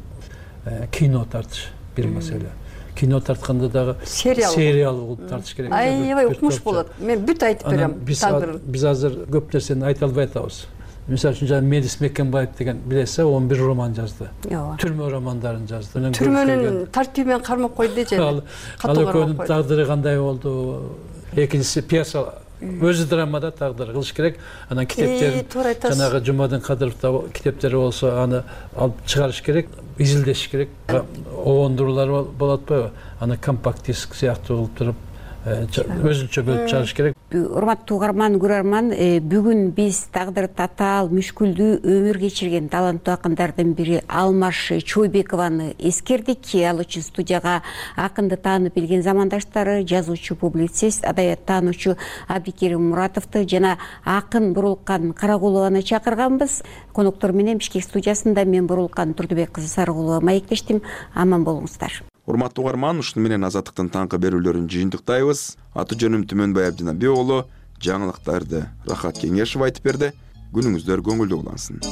Кино тартыш бир маселе. Кино тартканда дагы сериал болуп тартыш керек. Аябай укмуш болот. Мен бүт айтып берем тагдырын. Биз азыр көп нерсени айта албай атабыз. мисалы үчүн жана Медис Мекенбаев деген билесиз, он бир роман жазды. Ооба. Түрмө романдарын жазды. Түрмөнүн тартиби менен кармап койду же. Ал экөөнүн тагдыры кандай болду? Экинчиси пьеса өзү драмада тагдыр кылыш керек. Анан китептерин жанагы Жумадин Кадыровдо китептери болсо аны алып чыгарыш керек, изилдеш керек. Обондуруулар болот атпайбы? Аны компакт диск сыяктуу кылып туруп өзүнчө бөлүп чыгарыш керек. Урматтуу угарман, көрөрман, бүгүн биз тагдыры татаал, мүшкүлдүү өмүр кечирген таланттуу акындардын бири Алмаш Чойбекованы эскердик. Ал үчүн студияга акынды таанып билген замандаштары, жазуучу, публицист, адабият таануучу Абдикерим Муратовду жана акын Бурулкан Карагулованы чакырганбыз. Коноктор менен Бишкек студиясында мен Бурулкан Турдубек кызы Сарыгулова маектештим. Аман болуңуздар. Урматтуу угарман, ушуну менен Азаттыктын таңкы берүүлөрүн жыйынтыктайбыз. Аты жөнүм Түмөнбай Абдинабек уулу. Жаңылыктарды Рахат Кеңешев айтып берди. Күнүңүздөр көңүлдүү улансын.